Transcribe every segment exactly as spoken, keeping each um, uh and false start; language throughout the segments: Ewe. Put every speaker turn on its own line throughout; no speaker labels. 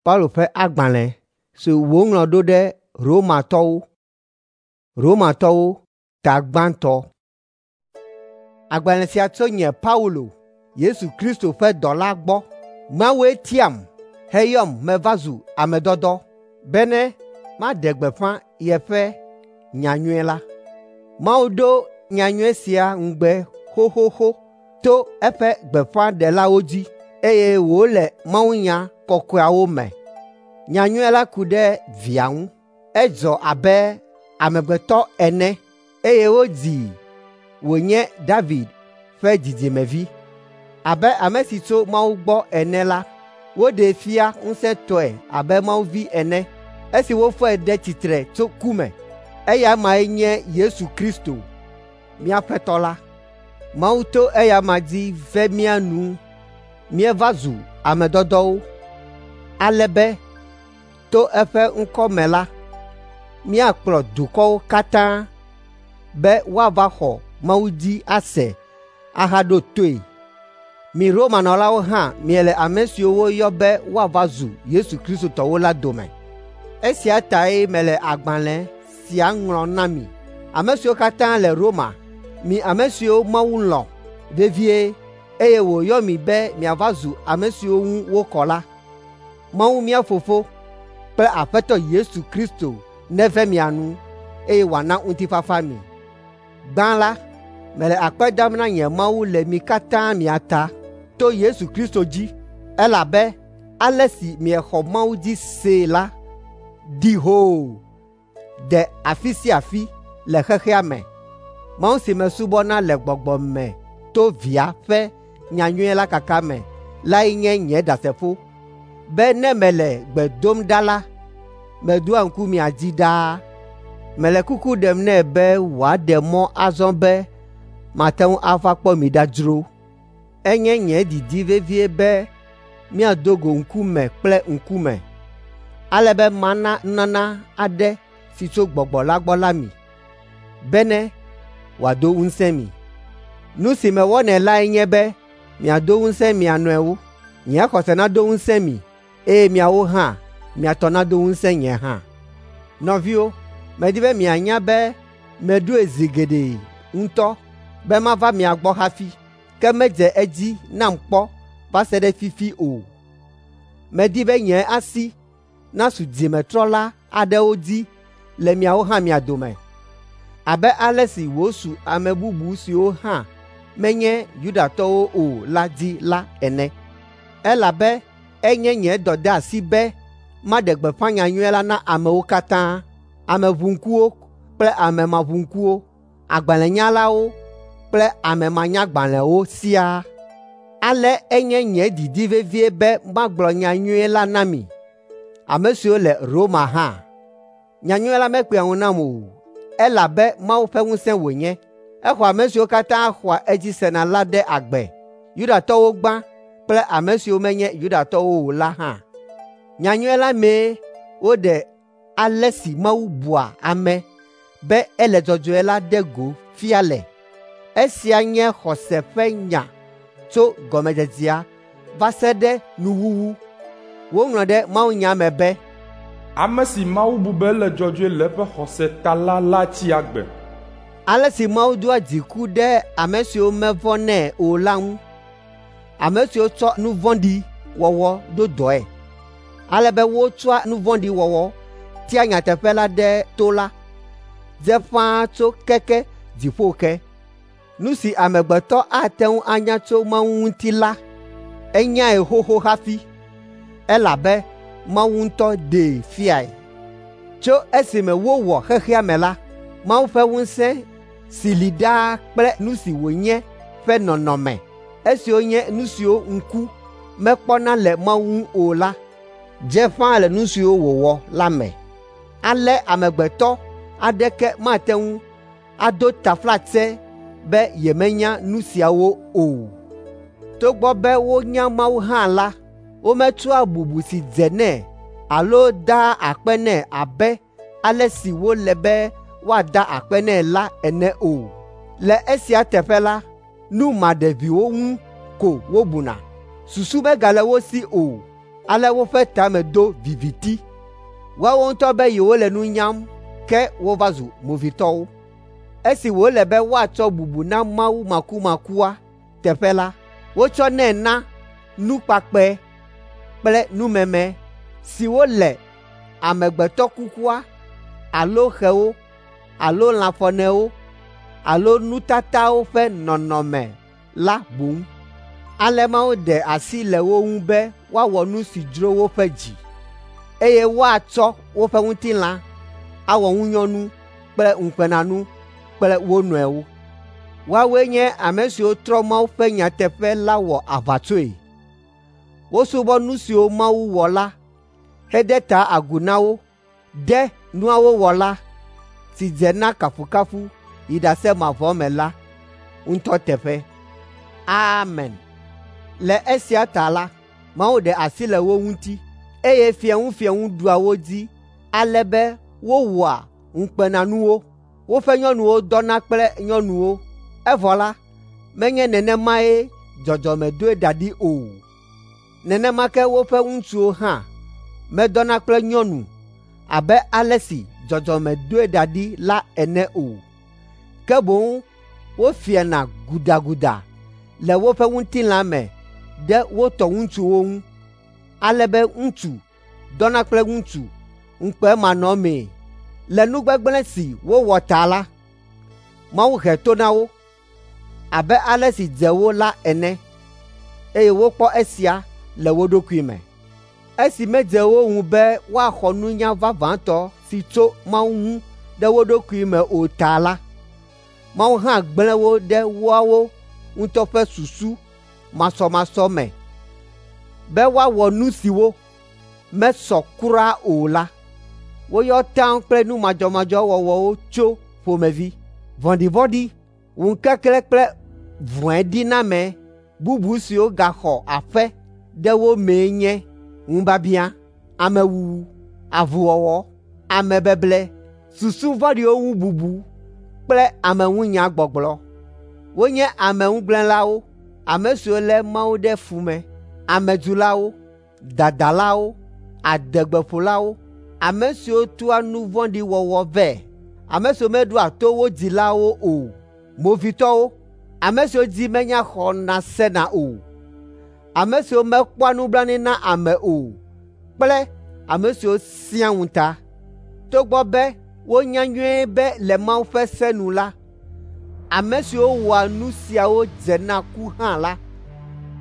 Paulo ƒe agbalẽ si wòŋlɔ ɖo ɖe Romatɔwo. Romatɔwo ta gbãtɔ. Agbalẽ sia tso nye Paulo, Yesu Kristo ƒe dɔla gbɔ. Mawue tiam heyɔm meva zu ame dɔdɔ bene maɖe gbeƒã yeƒe nyanyui la. Mawu do nyanyui sia ŋugbe xoxoxo to eƒe gbeƒãɖelawo dzi eye wòle mawunya kɔkɔeawo me. Nyanyui la ku ɖe Via ŋu. Edzɔ abe amegbetɔ ene eye wodzii wònye David ƒe dzidzimevi. Abe ame si tso Mawu gbɔ ene la, woɖee fia ŋusẽtɔe abe Mawu vi ene esi wofɔe ɖe tsitre tso ku me. Eya mae nye Yesu Kristo, mía Aƒetɔ la. Mawu to eya ma dzi ve mía nu míeva zu ame dɔdɔwo, ale be to eƒe ŋkɔ me la, míakplɔ dukɔwo katã be woava xɔ Mawu dzi ase ahaɖo toe. Mi Romanɔlawo hã miele ame siwo woyɔ be woava zu Yesu Kristo tɔwo la dome. Esia tae mele agbalẽ sia ŋlɔm na mi, ame siwo katã le Roma, mi ame siwo Mawu lɔ̃ vevie eye wòyɔ mi be miava zu ame siwo ŋu wokɔ la. Mawu mía Fofo kple Aƒetɔ Yesu Kristo neve mia nu eye wòana ŋutifafa mi. Gbã la, mele akpe dam na nye Mawu le mi katã mia ta to Yesu Kristo dzi, elabe ale si miexɔ Mawu dzi see la ɖi hoo de afi sia afi le xexea me. Mawu si mesubɔna le gbɔgbɔ me to Via ƒe nyanyui la kaka me lae nye nye ɖasefo be ne mele gbe dom ɖa la, meɖoa ŋku mia dzi ɖaa. Mele kuku ɖem nɛ be wòaɖe mɔ azɔ be mate ŋu ava kpɔ mi ɖa dzro. Enye nye didi vevie be míado go ŋkume kple ŋkume, ale be mana nunana aɖe si tso Gbɔgbɔ la gbɔ la mi, bene wòado ŋusẽ mi. Nu si mewɔnɛ lae nye be miado ŋusẽ mia nɔewo. Nye xɔse nado ŋusẽ mi eye miawo hã mia tɔ nado ŋusẽ nye hã. Nɔviwo, medi be mianya be meɖoe zi geɖe ŋutɔ be mava mia gbɔ hafi, ke medze edzi nam kpɔ va se ɖe fifi o. Medi be nye asi nasu dzimetrɔla aɖewo dzi le miawo hã mia dome, abe ale si wòsu ame bubu siwo hã menye Yudatɔwo o la dzi la ene. Elabe enye nye dɔdeasi be maɖe gbeƒã nyanyui la na amewo katã, ame ʋuŋkuwo kple ame maʋuŋkuwo, agbalẽnyalawo kple ame manyagbalẽwo siaa. Ale enye nye didi vevie be magblɔ nyanyui la na mi, ame siwo le Roma hã. Nyanyui la mekpea ŋu nam o, elabe Mawu ƒe ŋusẽ wònye. Exɔ ame siwo katã xɔa edzi sena la ɖe agbe, Yudatɔwo gbã kple ame siwo menye Yudatɔwo o la hã. Nyanyui la mee woɖe ale si Mawu bua ame be ele dzɔdzɔe la ɖe go fia le. Esia nye xɔse ƒe nya tso gɔmedzedzea va se ɖe nuwuwu. Woŋlɔ ɖe mawunya me be,
Ame si Mawu bu be ele dzɔdzɔe le eƒe xɔse ta la la tsi agbe.
Ale si Mawu doa dziku ɖe ame siwo mevɔ̃nɛ o la ŋu, ame siwo tsɔ nu vɔ̃ɖi wɔwɔ ɖo dɔe, ale be wotsɔa nu vɔ̃ɖi wɔwɔ tia nyateƒe la ɖe to la, dze ƒãa tso keke dziƒo ke. Nu si amegbetɔ ate ŋu anya tso Mawu ŋuti la, enyae xoxo hafi, elabe Mawu ŋutɔ ɖee fiae. Tso esime wowɔ xexea me la, Mawu ƒe ŋusẽ si li ɖaa kple nu si wònye ƒe nɔnɔme, esiwo nye nu siwo ŋku mekpɔna le Mawu ŋu o la, dze ƒãa le nu siwo wòwɔ la me. Ale amegbetɔ aɖeke mate ŋu ado taflatse be yemenya nu siawo o. Togbɔ be wonya Mawu hã la, wometsɔa bubu si dze nɛ alo daa akpe nɛ abe ale si wòle be woada akpe nɛ la ene o. Le esia teƒe la, nu maɖeviwo ŋu ko wobuna. Susu megale wo si o. Ale woƒe ta me do viviti. Woawo ŋutɔ be yewole nu nyam, ke wova zu movitɔwo. Esi wòle be woatsɔ bubu na Mawu makumakua teƒe la, wotsɔnɛ na nukpakpɛ kple numeme siwo le amegbetɔ kukua alo xewo alo lãfɔnewo alo nutatawo ƒe nɔnɔme la boŋ. Ale Mawu ɖe asi le wo ŋu be woawɔ nu si dzro woƒe dzi, eye woatsɔ woƒe ŋutilã awɔ ŋunyɔnu kple ŋukpenanu kple wo nɔewo. Woawoe nye ame siwo trɔ Mawu ƒe nyateƒe la wɔ aʋatsoe. Wosubɔ nu siwo Mawu wɔ la hede ta agu na wo ɖe nuawo wɔla si dze na kafukafu yi ɖase mavɔ me la ŋutɔ teƒe. Amen. Le esia ta la, Mawu ɖe asi le wo ŋuti, eye fiẽŋufiẽŋu ɖua wo dzi ale be wowɔa ŋukpenanuwo. Woƒe nyɔnuwo dɔna kple nyɔnuwo, evɔ la, menye nenemae dzɔdzɔme doe da ɖi o. Nenema ke woƒe ŋutsuwo hã medɔna kple nyɔnu abe ale si dzɔdzɔme doe da ɖi la ene o. Ke boŋ wofiana gudaguda le woƒe ŋutilã me ɖe wo tɔ ŋutsuwo ŋu, ale be ŋutsu dɔna kple ŋutsu ŋukpemanɔmee. Le nu gbegblẽ si wowɔ ta la, Mawu he to na wo abe ale si dze wo la ene, eye wokpɔ esia le wo ɖokui me. Esi medze wo ŋu be woaxɔ nunya vavãtɔ si tso Mawu ŋu ɖe wo ɖokui me o ta la, Mawu hã gblẽ wo ɖe woawo ŋutɔ ƒe susu masɔmasɔ me be woawɔ nu siwo mesɔ kura o la. Woyɔ taŋ kple nu madzɔmadzɔ wɔwɔwo tso ƒomevi, vɔ̃ɖivɔ̃ɖi, ŋukeklẽ kple vɔ̃ediname bubu siwo gaxɔ aƒe ɖe wo mee nye ŋubiabiã, amewuwu, avuwɔwɔ, amebeble, susu vɔ̃ɖiwo ŋu bubu kple ameŋunyagbɔgblɔ. Wonye ameŋugblẽlawo, ame siwo lé Mawu ɖe fu me, amedzulawo, dadalawo, adegbeƒolawo, ame siwo toa nu vɔ̃ɖi wɔwɔ vɛ, ame siwo meɖoa to wo dzilawo o, movitɔwo, ame siwo dzi menya xɔna sena o, ame siwo mekpɔa nublanui na ame o kple ame siwo sẽa ŋuta. Togbɔ be wonya nyuie be le Mawu ƒe se nu la, ame siwo wɔa nu siawo dze na ku hã la,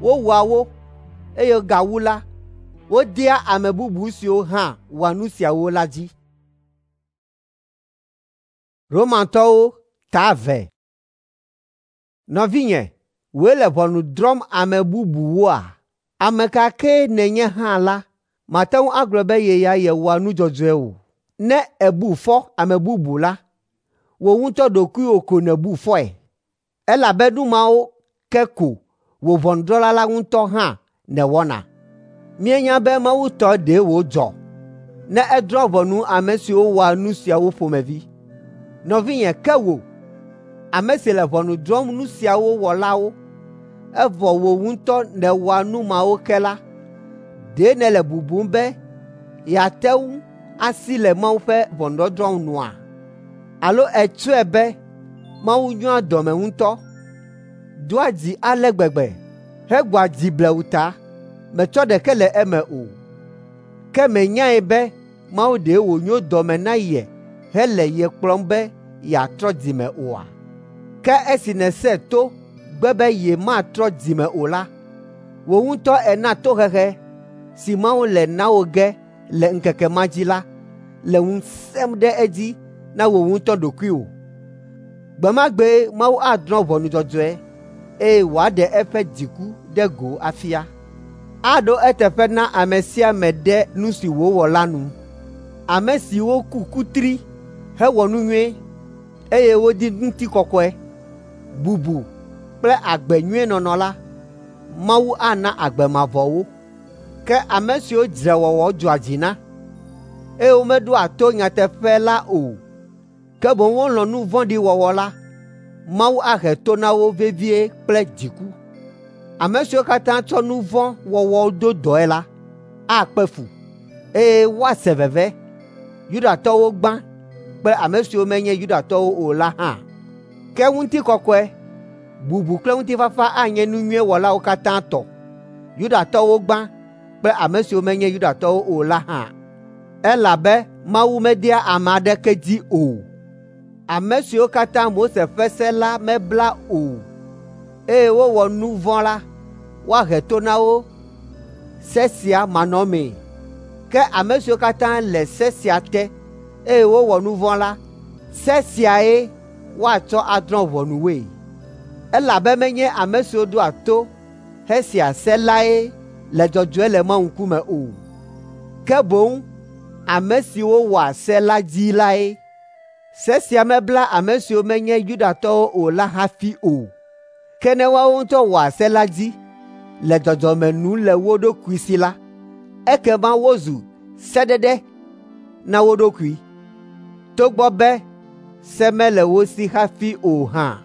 wowɔa wo, eye gawu la, wodea ame bubu siwo hã wɔa nu siawo la dzi. Romatɔwo ta eve. Nɔvinye, wòe le ʋɔnu drɔ̃m ame bubuwoa? Ame ka kee nènye hã la, màte ŋu agblɔ be ye ya yewɔa nu dzɔdzɔe o. Ne èbu fɔ ame bubu la, wò ŋutɔ ɖokuiwò ko nèbu fɔe, elabe nu mawo ke ko wò ʋɔnudrɔ̃la la ŋutɔ hã nèwɔna. Míenya be Mawu tɔ ɖe wòdzɔ ne edrɔ̃ ʋɔnu ame siwo wɔa nu siawo ƒomevi. Nɔvinye, ke wò, ame si le ʋɔnu drɔ̃m nu siawo wɔlawo, evɔ wò ŋutɔ nèwɔa nu mawo ke la, ɖe nèle bubum be yeate ŋu asi le Mawu ƒe ʋɔnudɔdrɔ̃ nua? Alo ètsɔe be Mawu nyoa dɔme ŋutɔ, doa dzi ale gbegbe, hegbɔa dzi blewu ta, metsɔ ɖeke le eme o. Ke mènyae be Mawu ɖe wònyo dɔme na ye hele ye kplɔm be yeatrɔ dzime oa? Ke esi nèsẽ to gbe be yematrɔ dzime o la, wò ŋutɔ èna tohehe si Mawu le na wò ge le ŋkeke ma dzi la le ŋu sẽm ɖe edzi na wò ŋutɔ ɖokuiwò. Gbe ma gbee Mawu adrɔ̃ ʋɔnu dzɔdzɔe eye wòaɖe eƒe dziku ɖe go afia. Aɖo eteƒe na ame sia ame ɖe nu si wòwɔ la nu. Ame siwo ku kutri hewɔ nu nyui, eye wodi ŋutikɔkɔe, bubu kple agbe nyui nɔnɔ la, Mawu ana agbe mavɔ wo. Ke ame siwo dzrewɔwɔ dzɔa dzi na, eye womeɖoa to nyateƒe la o, ke boŋ wolɔ̃ nu vɔ̃ɖi wɔwɔ la, Mawu ahe to na wo vevie kple dziku. Ame siwo katã tsɔ nu vɔ̃ wɔwɔ do dɔe la, akpe fu, eye woase veve, Yudatɔwo gbã kple ame siwo menye Yudatɔwo o la hã. Ke ŋutikɔkɔe, bubu kple ŋutifafa anye nu nyui wɔlawo katã tɔ, Yudatɔwo gbã kple ame siwo menye Yudatɔwo o la hã. Elabe Mawu medea ame aɖeke dzi o. Ame siwo katã Mose ƒe se la mebla o, eye wowɔ nu vɔ̃ la, woahe to na wo se sia manɔmee. Ke ame siwo katã le se sia te, eye wowɔ nu vɔ̃ la, se siae woatsɔ adrɔ̃ ʋɔnu woe. Elabe menye ame siwo ɖoa to hesea se lae le dzɔdzɔe le Mawu ŋkume o, ke boŋ ame siwo wɔa se la dzi lae. Se sia mebla ame siwo menye Yudatɔwo o la hafi o. Ke ne woawo ŋutɔ wɔa se la dzi le dzɔdzɔme nu le wo ɖokui si la, ekema wozu sedede na wo ɖokui, togbɔ be se mele wo si hafi o hã.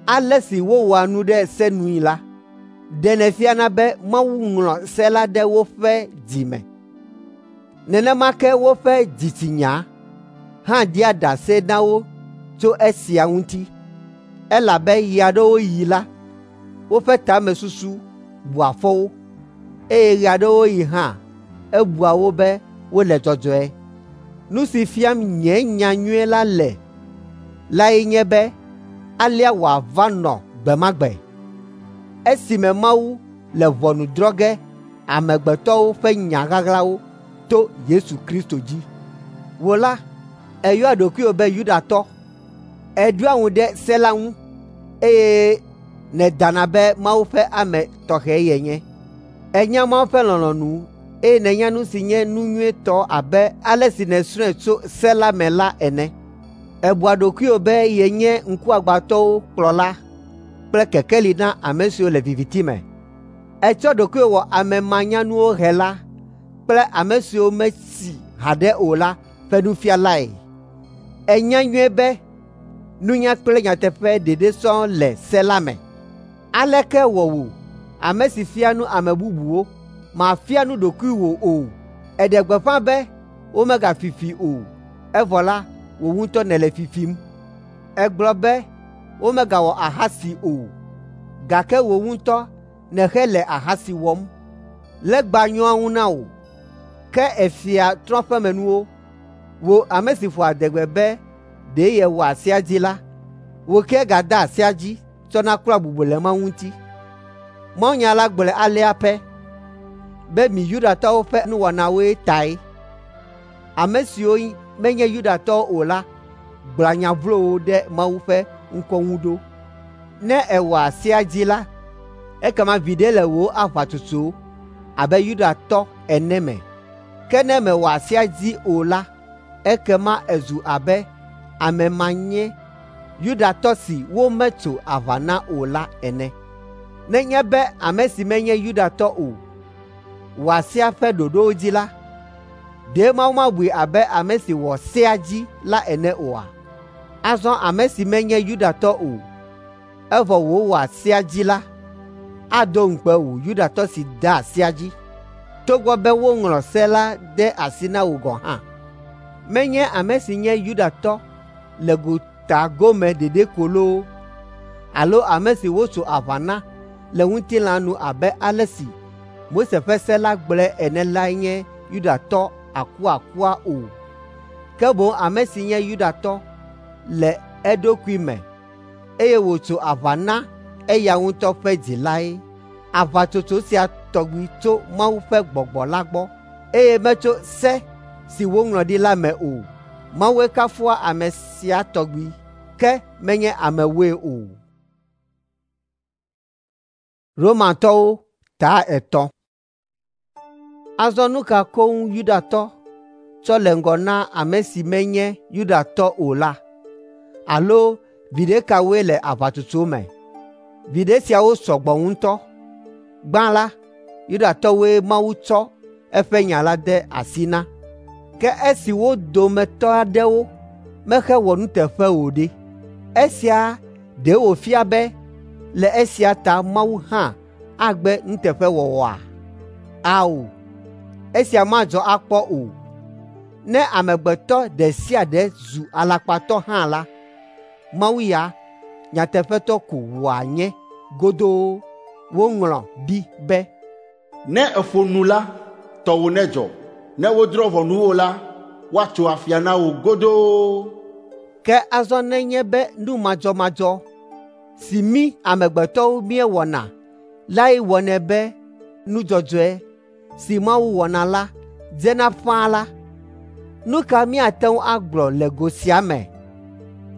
Ale si wowɔa nu ɖe se nui la, ɖenɛ fiana be Mawu ŋlɔ se la ɖe woƒe dzi me. Nenema ke woƒe dzitsinya hã ɖia ɖase na wo tso esia ŋuti, elabe ɣe aɖewo ɣi la, woƒe tamesusu bua fɔ wo, eye ɣe aɖewo ɣi hã ebua wo be wole dzɔdzɔe. Nu si fiam nye nyanyui la le lae nye be alea wòava nɔ gbe ma gbe, esime Mawu le ʋɔnu drɔ̃ ge amegbetɔwo ƒe nya ɣaɣlawo to Yesu Kristo dzi. Wò la, èyɔa ɖokuiwò be Yudatɔ, èɖoa ŋu ɖe se la ŋu, eye nèdana be Mawu ƒe ame tɔxɛ yenye. Ènya Mawu ƒe lɔlɔ̃nu, eye nènya nu si nye nu nyuitɔ abe ale si nèsrɔ̃e tso se la me la ene. Èbua ɖokuiwò be yenye ŋkuagbãtɔwo kplɔla kple kekeli na ame siwo le viviti me. Ètsɔ ɖokuiwò wɔ ame manyanuwo hela kple ame siwo metsi haɖe o la ƒe nufialae. Ènya nyuie be nunya kple nyateƒe ɖeɖe sɔŋ le se la me. Aleke wɔ wò, ame si fia nu ame bubuwo, màfia nu ɖokuiwò o? Èɖe gbeƒã be womegafi fi o, evɔ la, wò ŋutɔ nèle fi fim. Ègblɔ be womegawɔ ahasi o, gake wò ŋutɔ nèhele ahasi wɔm. Legba nyɔa ŋu na wò, ke èfia trɔ̃ƒemenuwo. Wò ame si ƒoa adegbe be ɖe yewɔa sea dzi la, wò ke gada sea dzi tsɔna klɔa bubu le Mawu ŋuti. Mawunya la gblɔe alea pɛ be mi Yudatɔwo ƒe nuwɔnawoe tae. Ame siwo menye Yudatɔwo o la gblɔa nya vlowo ɖe Mawu ƒe ŋkɔ ŋu ɖo. Ne èwɔa sea dzi la, ekema viɖe le wò aʋatsotso abe Yudatɔ ene me. Ke ne mèwɔa sea dzi o la, ekema èzu abe ame manye Yudatɔ si wometso aʋa na o la ene. Nenye be ame si menye Yudatɔ o wɔa sea ƒe ɖoɖowo dzi la, ɖe Mawu mabui abe ame si wɔ sea dzi la ene oa? Azɔ ame si menye Yudatɔ o, evɔ wòwɔa sea dzi la, ado ŋukpe wò Yudatɔ si dea sea dzi, togbɔ be woŋlɔ se la de asi na wò gɔ̃ hã. Menye ame si nye Yudatɔ le gota gome ɖeɖe ko loo, alo ame si wotso aʋa na le ŋutilã nu abe ale si Mose ƒe se la gblɔe ene lae nye Yudatɔ akuakua o, ke boŋ ame si nye Yudatɔ le eɖokui me, eye wòtso aʋa na eya ŋutɔ ƒe dzi lae. Aʋatsotso sia tɔgbi tso Mawu ƒe Gbɔgbɔ la gbɔ, eye metso se si woŋlɔ ɖi la me o. Mawue kafua ame sia tɔgbi, ke menye amewoe o. Romatɔwo ta etɔ̃. Azɔ nu ka koŋ Yudatɔ tsɔ le ŋgɔ na ame si menye Yudatɔ o la? Alo viɖe kawoe le aʋatsotso me? Viɖe siawo sɔ gbɔ ŋutɔ. Gbã la, Yudatɔwoe Mawu tsɔ eƒe nya la de asi na. Ke esi wo dometɔ aɖewo mexewɔ nuteƒe o ɖe, esia ɖe wòfia be le esia ta Mawu hã agbe nuteƒewɔwɔa? Ao, Esia madzɔ akpɔ o. Ne amegbetɔ ɖe sia ɖe zu alakpatɔ hã la, Mawu ya nyateƒetɔ ko wòanye godoo. Woŋlɔ ɖi be,
Ne èƒo nu la, tɔwò nedzɔ. Ne wodrɔ̃ ʋɔnu wò la, woatso afia na wò godoo.
Ke azɔ nenye be nu madzɔmadzɔ si mí amegbetɔwo míewɔna lae wɔnɛ be nu dzɔdzɔe si Mawu wɔna la dzena ƒãa la, nu ka míate ŋu agblɔ le go sia me?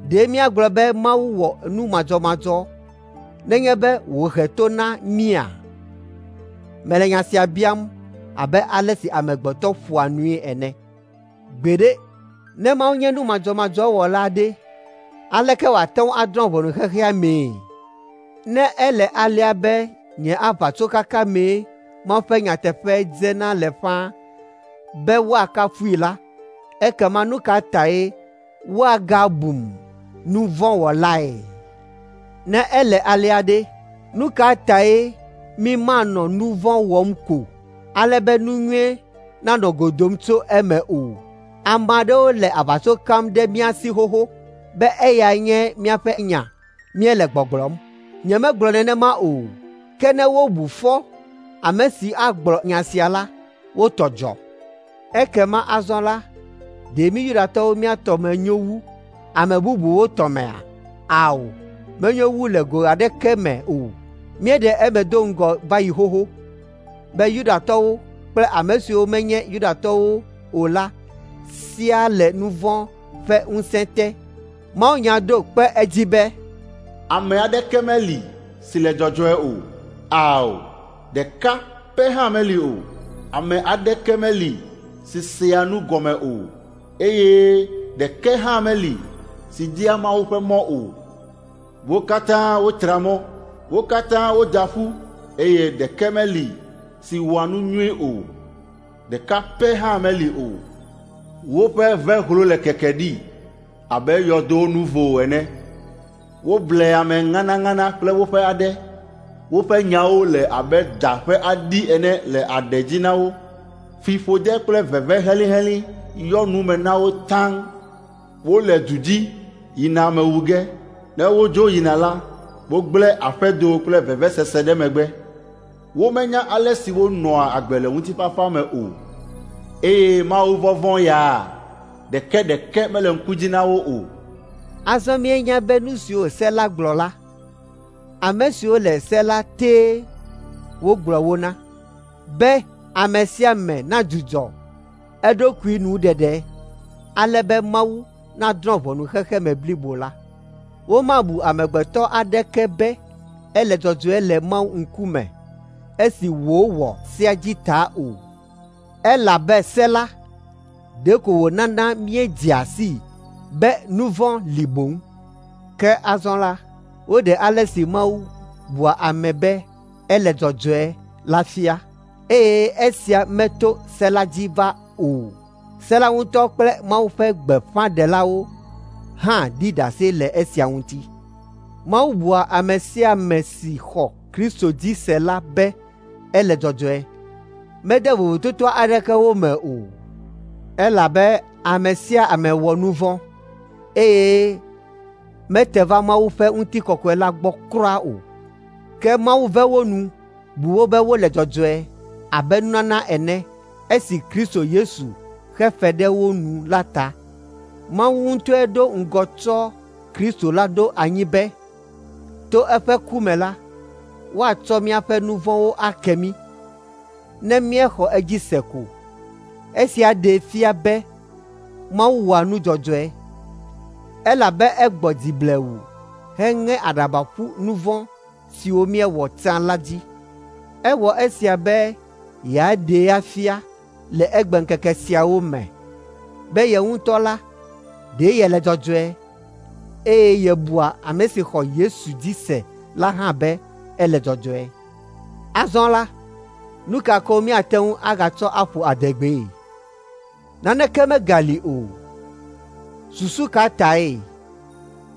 Ɖe míagblɔ be Mawu wɔ nu madzɔmadzɔ nenye be wòhe to na mía? Mele nya sia biam abe ale si amegbetɔ ƒoa nui ene. Gbeɖe, ne Mawu nye nu madzɔmadzɔ wɔla ɖe, aleke wòate ŋu adrɔ̃ ʋɔnu xexea mee? Ne ele alea be nye aʋatsokaka mee Mawu ƒe nyateƒe dzena le ƒãa be woakafui la, ekema nu ka tae woagabum nu vɔ̃ wɔlae? Ne ele alea ɖe, nu ka tae mi manɔ nu vɔ̃ wɔm ko ale be nu nyui nanɔ go dom tso eme o? Ame aɖewo le aʋatso kam ɖe mía si xoxo be eyae nye míaƒe nya míele gbɔgblɔm. Nyemegblɔ nenema o, ke ne wobu fɔ ame si agblɔ nya sia la, wo tɔ dzɔ. Ekema azɔ la, ɖe mí Yudatɔwo mía tɔ me nyo wu ame bubuwo tɔ mea? Ao, menyo wu le go aɖeke me o. Míeɖe eme do ŋgɔ va yi xoxo be Yudatɔwo kple ame siwo menye Yudatɔwo o la siaa le nu vɔ̃ ƒe ŋusẽ te. Mawunya ɖo kpe edzi be,
Ame aɖeke meli si le dzɔdzɔe o. Ao, ɖeka pɛ hã meli o. Ame aɖeke meli si sea nu gɔme o, eye ɖeke hã meli si dia Mawu ƒe mɔ o. Wo katã wotra mɔ, wo katã woda ƒu, eye ɖeke meli si wɔa nu nyui o. Ɖeka pɛ hã meli o. Woƒe vehlo le keke ɖi abe yɔdo nuvo ene. Woble ame ŋanaŋana kple woƒe aɖe. Woƒe nyawo le abe da ƒe aɖi ene le aɖe dzi na wo. Fiƒode kple veve helĩhelĩ yɔ nu me na wo taŋ. Wole du dzi yina ame wu ge. Ne wodzo yina la, wogblẽ aƒedo kple vevesese ɖe megbe. Womenya ale si wonɔa agbe le ŋutifafa me o, eye Mawuvɔvɔ̃ ya ɖeke ɖeke mele ŋku dzi na wo o.
Azɔ míenya be nu siwo se la gblɔ la, ame siwo le se la tee wogblɔ wo na, be ame sia ame nadzudzɔ eɖokui nuɖeɖe, ale be Mawu nadrɔ̃ ʋɔnu xexeme blibo la. Womabu amegbetɔ aɖeke be ele dzɔdzɔe le Mawu ŋkume esi wòwɔ sea dzi ta o, elabe se la ɖeko wònana míedzea sii be nu vɔ̃ li boŋ. Ke azɔ la, woɖe ale si Mawu bua ame be ele dzɔdzɔe la fia, eye esia meto se la dzi va o. Se la ŋutɔ kple Mawu ƒe gbeƒãɖelawo hã ɖi ɖase le esia ŋuti. Mawu bua ame sia ame si xɔ Kristo dzi se la be ele dzɔdzɔe. Mede vovototo aɖeke wo me o, elabe ame sia ame wɔ nu vɔ̃, eye mete va Mawu ƒe ŋutikɔkɔe la gbɔ kura o. Ke Mawu ve wo nu, bu wo be wole dzɔdzɔe abe nunana ene esi Kristo Yesu xe fe ɖe wo nu la ta. Mawu ŋutɔe ɖo ŋgɔ tsɔ Kristo la ɖo anyi be, to eƒe ku me la, woatsɔ míaƒe nu vɔ̃wo ake mí, ne míexɔ edzi se ko. Esia ɖee fia be Mawu wɔa nu dzɔdzɔe, elabe egbɔ dzi blewu heŋe aɖaba ƒu nu vɔ̃ siwo míewɔ tsã la dzi. Ewɔ esia be yeaɖee afia le egbeŋkeke siawo me be ye ŋutɔ la, ɖe yele dzɔdzɔe, eye yebua ame si xɔ Yesu dzi se la hã be ele dzɔdzɔe. Azɔ la, nu ka ko míate ŋu agatsɔ aƒo adegbee? Naneke megali o. Susu ka tae?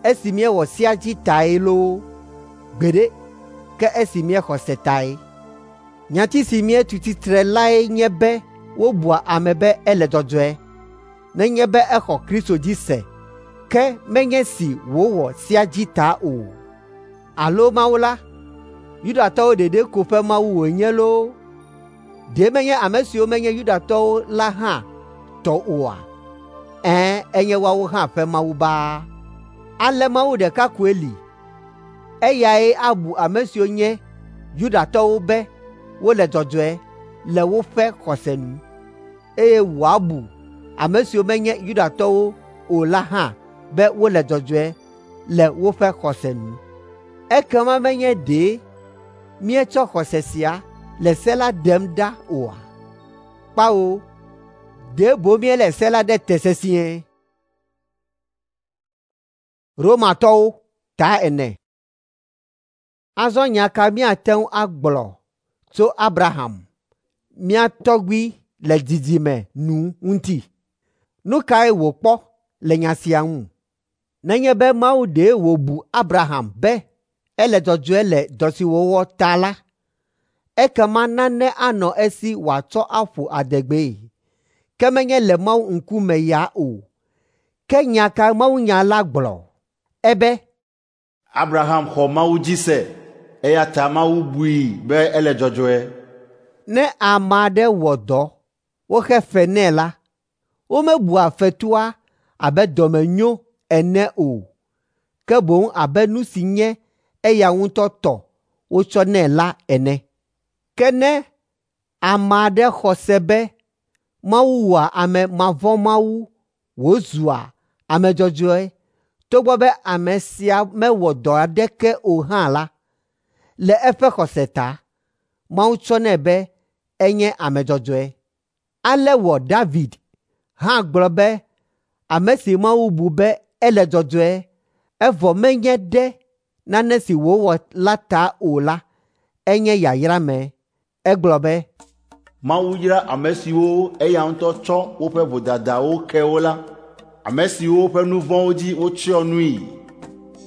Esi míewɔ sea dzi tae loo? Gbeɖe, ke esi míexɔ se tae. Nyati si míetu tsitre lae nye be wobua ame be ele dzɔdzɔe nenye be exɔ Kristo dzi se, ke menye si wòwɔ sea dzi ta o. Alo Mawu la, Yudatɔwo ɖeɖe ko ƒe Mawu wònye loo? Ɖe menye ame siwo menye Yudatɔwo la hã tɔ oa? Ɛ̃, enye woawo hã ƒe Mawu baa. Ale Mawu ɖeka koe li. Eyae abu ame siwo nye Yudatɔwo be wole dzɔdzɔe le woƒe xɔse nu, eye wòabu ame siwo menye Yudatɔwo o la hã be wole dzɔdzɔe le woƒe xɔse nu. Ekema menye ɖe míetsɔ xɔse sia le se la ɖem ɖa oa? Kpao, ɖe boŋ míelé se la ɖe te sesĩe. Romatɔwo ta ene. Azɔ nya ka míate ŋu agblɔ tso Abraham, mía tɔgbui le dzidzime nu ŋuti? Nu kae wòkpɔ le nya sia ŋu? Nenye be Mawu ɖe wòbu Abraham be ele dzɔdzɔe le dɔ si wòwɔ ta la, ekema nane anɔ esi wòatsɔ aƒo adegbee, ke menye le Mawu ŋkume ya o. Ke nya ka mawunya la gblɔ? Ebe,
Abraham xɔ Mawu dzi se, eya ta Mawu bui be ele dzɔdzɔe.
Ne ame aɖe wɔ dɔ woxe fe nɛ la, womebua fetua abe dɔmenyo ene o, ke boŋ abe nu si nye eya ŋutɔ tɔ wotsɔ nɛ la ene. Ke ne ame aɖe xɔ se be Mawu wɔa ame mavɔ̃mawu wòzua ame dzɔdzɔe togbɔ be ame sia mewɔ dɔ aɖeke o hã la, le eƒe xɔse ta, Mawu tsɔnɛ be enye ame dzɔdzɔe. Ale wɔ David hã gblɔ be ame si Mawu bu be ele dzɔdzɔe evɔ menye ɖe nane si wòwɔ la ta o la, enye yayrame. Egblɔ be,
Mawu yra ame siwo eya ŋutɔ tsɔ woƒe vodadawo ke wo la, ame siwo ƒe nu vɔ̃wo dzi wotsyɔ nui.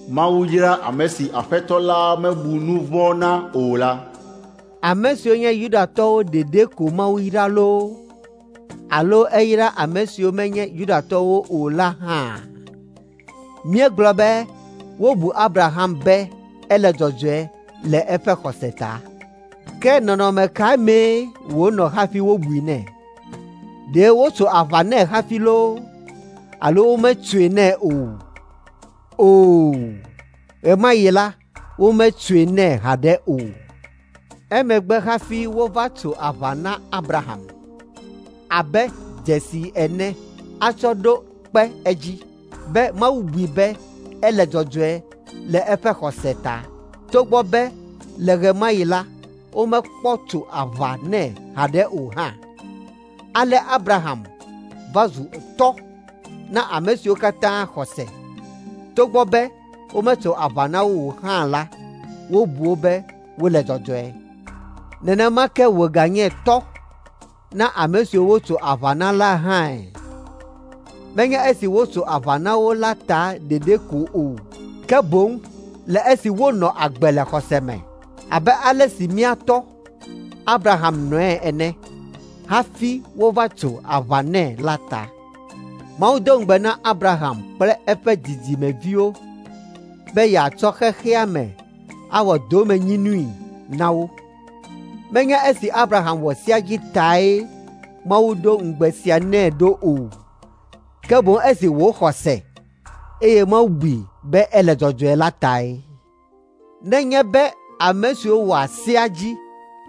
Mawu yra ame si Aƒetɔ la mebu nu vɔ̃ na o la.
Ame siwo nye Yudatɔwo ɖeɖe ko Mawu yra loo, alo eyra ame siwo menye Yudatɔwo o la hã? Míegblɔ be wobu Abraham be ele dzɔdzɔe le eƒe xɔse ta. Ke nɔnɔme ka mee wònɔ hafi wobui nɛ? Ɖe wotso aʋa nɛ hafi loo, alo wometsoe nɛ o? Oo, ɣe ma ɣi la, wometsoe nɛ haɖe o. Emegbe hafi wova tso aʋa na Abraham abe dzesi ene atsɔ ɖo kpe edzi be Mawu bui be ele dzɔdzɔe le eƒe xɔse ta, togbɔ be le ɣe ma ɣi la, womekpɔ tso aʋa nɛ haɖe o hã. Ale Abraham va zu tɔ́ na ame siwo katã xɔ se, togbɔ be wometso aʋa na wo o hã la, wobu wo be wole dzɔdzɔe. Nenema ke wòganye tɔ́ na ame siwo wotso aʋa na la hãe. Menye esi wotso aʋa na wo la ta ɖeɖe ko o, ke boŋ le esi wonɔ agbe le xɔse me abe ale si mía tɔ́ Abraham nɔe ene hafi wova tso aʋa nɛ la ta. Mawu do ŋugbe na Abraham kple eƒe dzidzimeviwo be yeatsɔ xexea me awɔ domenyinui na wo. Menye esi Abraham wɔ sea dzi tae Mawu ɖo ŋugbe sia nɛ ɖo o, ke boŋ esi wòxɔ se, eye Mawu bui be ele dzɔdzɔe la tae. Nenye be ame siwo wɔa sea dzi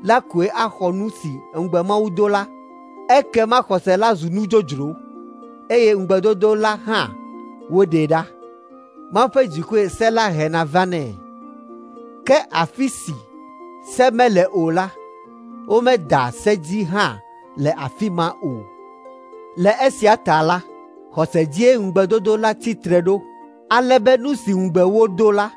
la koe axɔ nu si ŋugbe Mawu do la, ekema xɔse la zu nu dzodzro, eye ŋugbedodo la hã woɖee ɖa. Mawu ƒe dzikue se la hena vanɛ. Ke afi si se mele o la, womeda se dzi hã le afi ma o. Le esia ta la, xɔse dzie ŋugbedodo la tsi tre ɖo, ale be nu si ŋugbe wodo la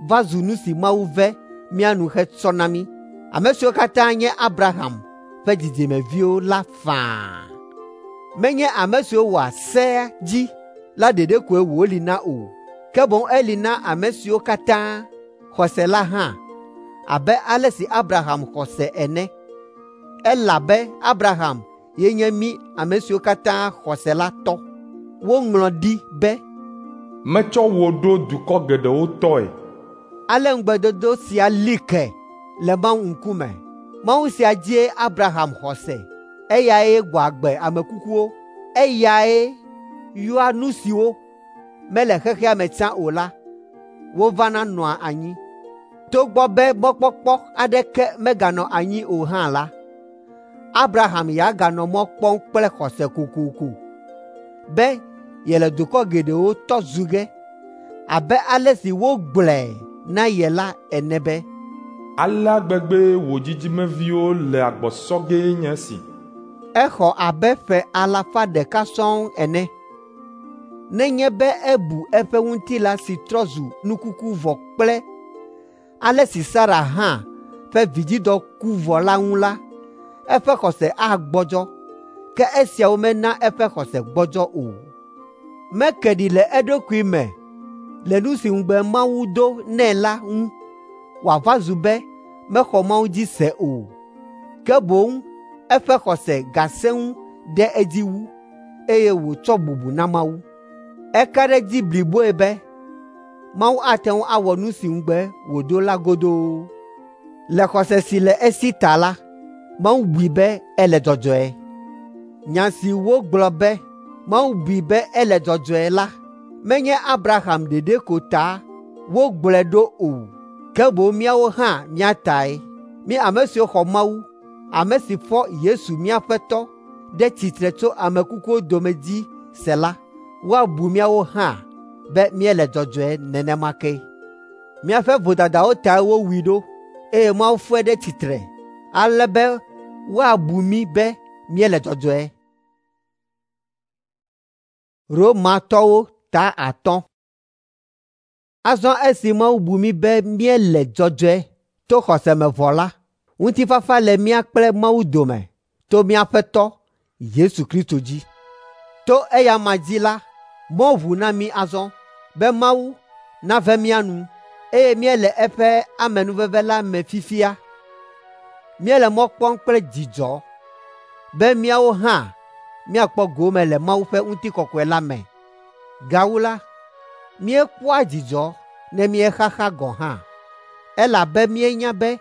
va zu nu si Mawu ve mía nu hetsɔ na mí, ame siwo katã nye Abraham ƒe dzidzimeviwo la faa. Menye ame siwo wɔa sea dzi la ɖeɖe koe wòli na o, ke boŋ eli na ame siwo katã xɔ se la hã, abe ale si Abraham xɔ se ene. Elabe Abraham ye nye mí ame siwo katã xɔ se la tɔ. Woŋlɔ ɖi be,
Metsɔ wò ɖo dukɔ geɖewo tɔe.
Ale ŋugbedodo sia li ke le Mawu ŋkume. Mawu sia dzie Abraham xɔ se. Eyae gbɔ agbe ame kukuwo. Eyae yɔa nu siwo mele xexea me tsã o la, wovana nɔa anyi. Togbɔ be mɔkpɔkpɔ aɖeke meganɔ anyi o hã la, Abraham ya ganɔ mɔ kpɔm kple xɔse kokoko be yele dukɔ geɖewo tɔ zu ge abe ale si wogblɔe na ye la ene be,
Alea gbegbee wò dzidzimeviwo le agbɔ sɔ gee nye esi.
Exɔ abe ƒe alafa ɖeka sɔŋ ene. Nenye be ebu eƒe ŋutilã si trɔ zu nukuku vɔ kple ale si Sara hã ƒe vidzidɔ ku vɔ la ŋu la, eƒe xɔse agbɔdzɔ, ke esiawo mena eƒe xɔse gbɔdzɔ o. Meke ɖi le eɖokui me le nu si ŋugbe Mawu do nɛ la ŋu wòava zu be mexɔ Mawu dzi se o. Ke boŋ eƒe xɔse gasẽ ŋu ɖe edzi wu, eye wòtsɔ bubu na Mawu. Eka ɖe edzi bliboe be Mawu ate ŋu awɔ nu si ŋugbe wòdo la godoo. Le xɔse si le esi ta la, Mawu bui be ele dzɔdzɔe. Nya si wogblɔ be Mawu bui be ele dzɔdzɔe la, menye Abraham ɖeɖe ko ta wogblɔe ɖo o, ke boŋ míawo hã mía tae. Mí ame siwo xɔ Mawu, ame si fɔ Yesu mía Aƒetɔ ɖe tsitre tso ame kukuwo dome dzi se la, woabu míawo hã be míele dzɔdzɔe nenema ke. Míaƒe vodadawo tae wowui ɖo, eye Mawu fɔe ɖe tsitre ale be woabu mí be míele dzɔdzɔe. Romatɔwo ta atɔ̃. Azɔ esi Mawu bu mí be míele dzɔdzɔe to xɔse me vɔ la, ŋutifafa le mía kple Mawu dome to mía Aƒetɔ Yesu Kristo dzi. To eya ma dzi la, mɔ ʋu na mí azɔ be Mawu nave mía nu, eye míele eƒe amenuveve la me fifia. Míele mɔ kpɔm kple dzidzɔ be míawo hã míakpɔ gome le Mawu ƒe ŋutikɔkɔe la me. Gawu la, míekpɔa dzidzɔ ne míexaxa gɔ̃ hã, elabe míenya be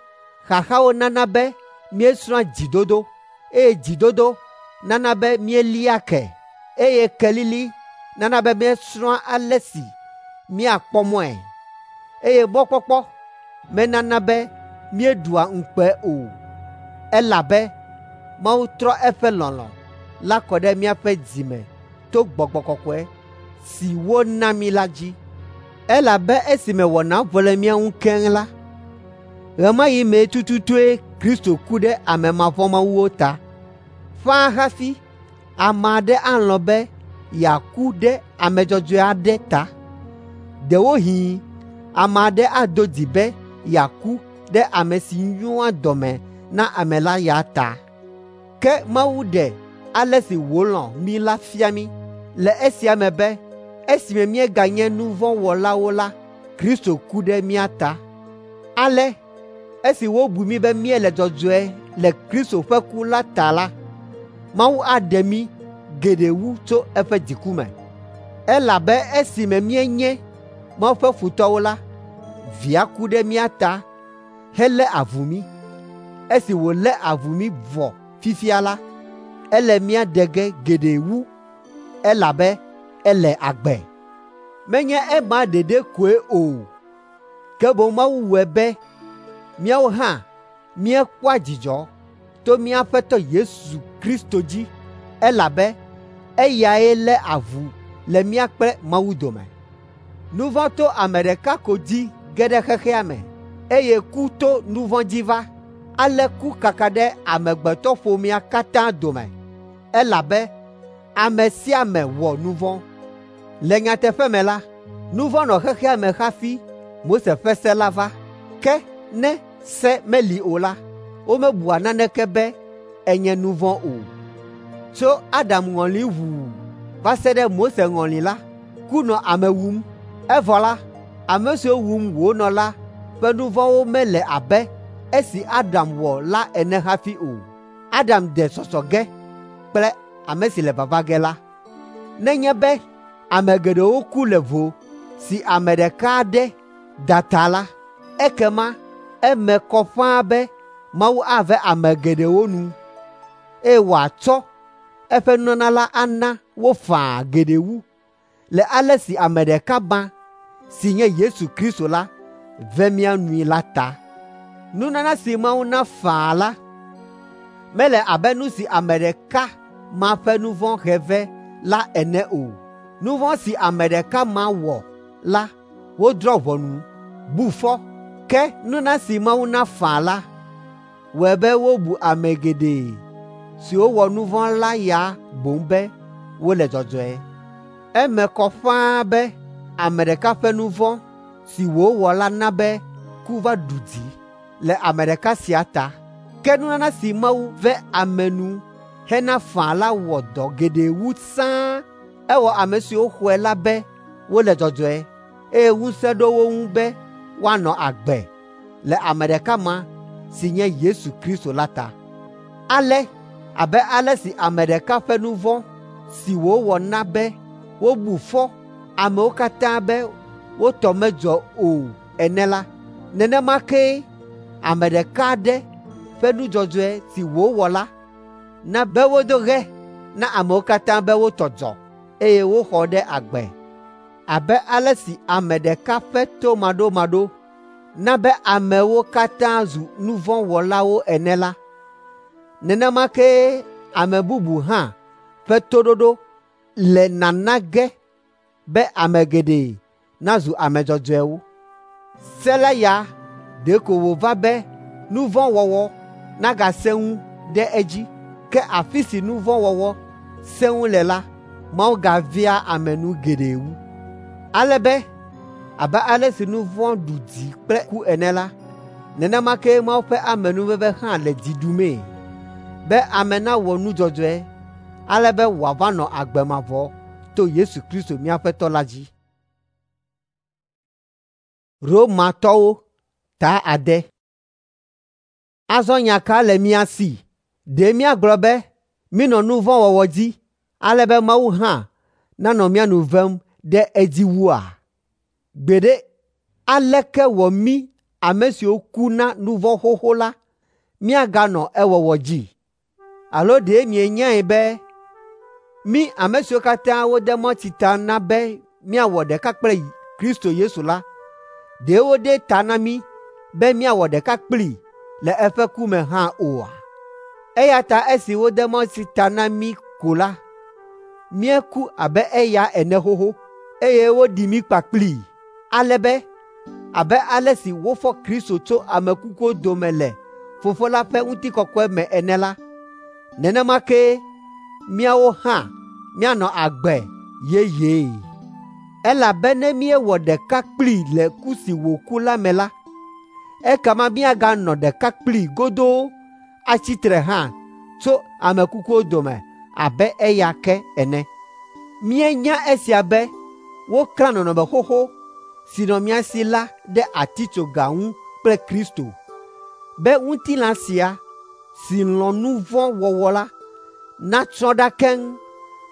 xaxawo nana be míesrɔ̃a dzidodo, eye dzidodo nana be míelia ke, eye kelili nana be míesrɔ̃a ale si míakpɔ mɔe, eye mɔkpɔkpɔ menana be míeɖua ŋukpe o, elabe Mawu trɔ eƒe lɔlɔ̃ la kɔ ɖe míaƒe dzi me to Gbɔgbɔ Kɔkɔe si wona mí la dzi. Elabe esime wɔna vɔ le mía ŋu keŋ la, ɣe ma ɣi mee tututue Kristo ku ɖe ame mavɔ̃mawuwo ta. Ƒãa hafi ame aɖe alɔ̃ be yeaku ɖe ame dzɔdzɔe aɖe ta. Ɖewohĩ ame aɖe ado dzi be yeaku ɖe ame si nyoa dɔme na ame la ya ta. Ke Mawu ɖe ale si wòlɔ̃ mí la fia mí le esia me be esime míeganye nu vɔ̃ wɔlawo la, Kristo ku ɖe mía ta. Ale esi wobu mí be míele dzɔdzɔe le Kristo ƒe ku la ta la, Mawu aɖe mí geɖe wu tso eƒe dziku me. Elabe esime míenye Mawu ƒe futɔwo la, Via ku ɖe mía ta helé avu mí. Esi wòlé avu mí vɔ fifia la, ele mía ɖe ge geɖe wu elabe ele agbe. Menye ema ɖeɖe koe o, ke boŋ Mawu wɔe be míawo hã míekpɔa dzidzɔ to mía Aƒetɔ Yesu Kristo dzi elabe eyae lé avu le mía kple Mawu dome. Nu vɔ̃ to ame ɖeka ko dzi ge ɖe xexea me, eye ku to nu vɔ̃ dzi va. Ale ku kaka ɖe amegbetɔƒomea katã dome, elabe ame sia ame wɔ nu vɔ̃. Le nyateƒe me la, nu vɔ̃ nɔ xexea me hafi Mose ƒe se la va. Ke ne se meli o la, womebua naneke be enye nu vɔ̃ o. Tso Adam ŋɔli ʋuu va se ɖe Mose ŋɔli la, ku nɔ ame wum. Evɔ la, ame siwo wum wònɔ la ƒe nu vɔ̃wo mele abe esi Adam wɔ la ene hafi o. Adam de sɔsɔ ge kple ame si le vava ge la. Nenye be ame geɖewo ku le vo si ame ɖeka aɖe da ta la, ekema eme kɔ ƒãa be Mawu ave ame geɖewo nu, eye wòatsɔ eƒe nunana la ana wo faa geɖe wu le ale si ame ɖeka ma si nye Yesu Kristo la ve mía nui la ta. Nunana si Mawu na faa la mele abe nu si ame ɖeka ma ƒe nu vɔ̃ he vɛ la ene o. Nu vɔ̃ si ame ɖeka ma wɔ la, wodrɔ̃ ʋɔnu, bu fɔ. Ke nunana si Mawu na faa la wɔe be wobu ame geɖe siwo wɔ nu vɔ̃ la ya boŋ be wole dzɔdzɔe. Eme kɔ ƒãa be ame ɖeka ƒe nu vɔ̃ si wòwɔ la na be ku va ɖu dzi le ame ɖeka sia ta. Ke nunana si Mawu ve ame nu hena faa la wɔ dɔ geɖe wu sãa. Ewɔ ame siwo xɔe la be wole dzɔdzɔe, eye ŋusẽ ɖo wo ŋu be woanɔ agbe le ame ɖeka ma si nye Yesu Kristo la ta. Ale abe ale si ame ɖeka ƒe nu vɔ̃ si wòwɔ na be wobu fɔ amewo katã be wo tɔ medzɔ o ene la, nenema kee ame ɖeka aɖe ƒe nu dzɔdzɔe si wòwɔ la na be wodo ɣe na amewo katã be wo tɔ dzɔ, eye woxɔ ɖe agbe. Abe ale si ame ɖeka ƒe tomaɖomaɖo na be amewo katã zu nu vɔ̃ wɔlawo ene la, nenema kee ame bubu hã ƒe toɖoɖo le nana ge be ame geɖe nazu ame dzɔdzɔewo. Se la ya ɖeko wòva be nu vɔ̃ wɔwɔ nagasẽ ŋu ɖe edzi. Ke afi si nu vɔ̃ wɔwɔ sẽ ŋu le la, Mawu gavea ame nu geɖe wu. Ale be abe ale si nu vɔ̃ ɖu dzi kple ku ene la, nenema kee Mawu ƒe amenuveve hã le dzi ɖumee, be ame nawɔ nu dzɔdzɔe, ale be wòava nɔ agbe mavɔ to Yesu Kristo mía Aƒetɔ la dzi. Romatɔwo ta ade. Azɔ nya ka le mía si? Ɖe míagblɔ be mínɔ nu vɔ̃ wɔwɔ dzi ale be Mawu hã nanɔ mía nu vem ɖe edzi wua? Gbeɖe, aleke wɔ mí ame siwo ku na nu vɔ̃ xoxo la míaganɔ ewɔwɔ dzi? Alo ɖe mienyae be mí ame siwo katã wode mawutsi ta na be míawɔ ɖeka kple Kristo Yesu la, ɖe wode ta na mí be míawɔ ɖeka kplii le eƒe ku me hã oa? Eya ta esi wode mawutsi ta na mí ko la, míeku abe eya ene xoxo, eye woɖi mí kpakplii, ale be abe ale si wofɔ Kristo tso ame kukuwo dome le Fofo la ƒe ŋutikɔkɔe me ene la, nenema kee míawo hã míanɔ agbe yeyee. Elabe ne míewɔ ɖeka kplii le ku si wòku la me la, ekema míaganɔ ɖeka kplii godoo atsi tre hã tso ame kukuwo dome abe eya ke ene. Míenya esia be woklã nɔnɔme xoxo si nɔ mía si la ɖe atitsoga ŋu kple Kristo, be ŋutilã sia si lɔ̃ nu vɔ̃ wɔwɔ la natsrɔ̃ ɖa keŋ,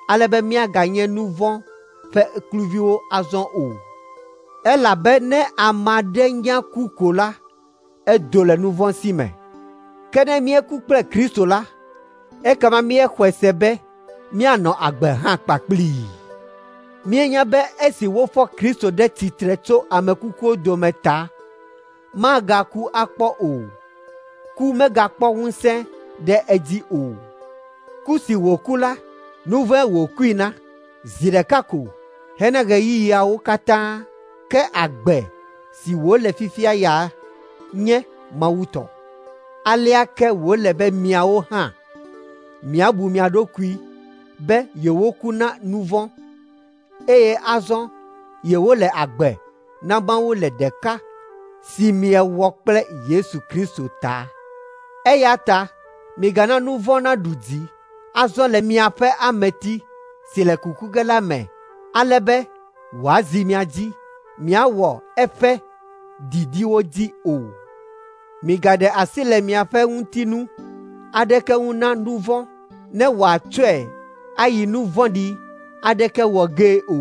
ale be míaganye nu vɔ̃ ƒe kluviwo azɔ o. Elabe ne ame aɖe nya ku ko la, edo le nu vɔ̃ si me. Ke ne míeku kple Kristo la, ekema míexɔe se be míanɔ agbe hã kpakplii. Míenya be esi wofɔ Kristo ɖe tsitre tso ame kukuwo dome ta, magaku akpɔ o. Ku megakpɔ ŋusẽ ɖe edzi o. Ku si wòku la, nu vɔ̃e wòkui na zi ɖeka ko hena ɣeyiɣiawo katã, ke agbe si wòle fifia ya nye Mawu tɔ. Alea ke wòle be miawo hã miabu mia ɖokui be yewoku na nu vɔ̃, eye azɔ yewole agbe na Mawu le ɖeka si miewɔ kple Yesu Kristo ta. Eya ta migana nu vɔ̃ naɖu dzi azɔ le miaƒe ameti si le kuku ge la me, ale be wòazi mia dzi miawɔ eƒe didiwo dzi o. Migaɖe asi le miaƒe ŋutinu aɖeke ŋu na nu vɔ̃ ne wòatsɔe ayi nu vɔ̃ɖi aɖeke wɔ gee o.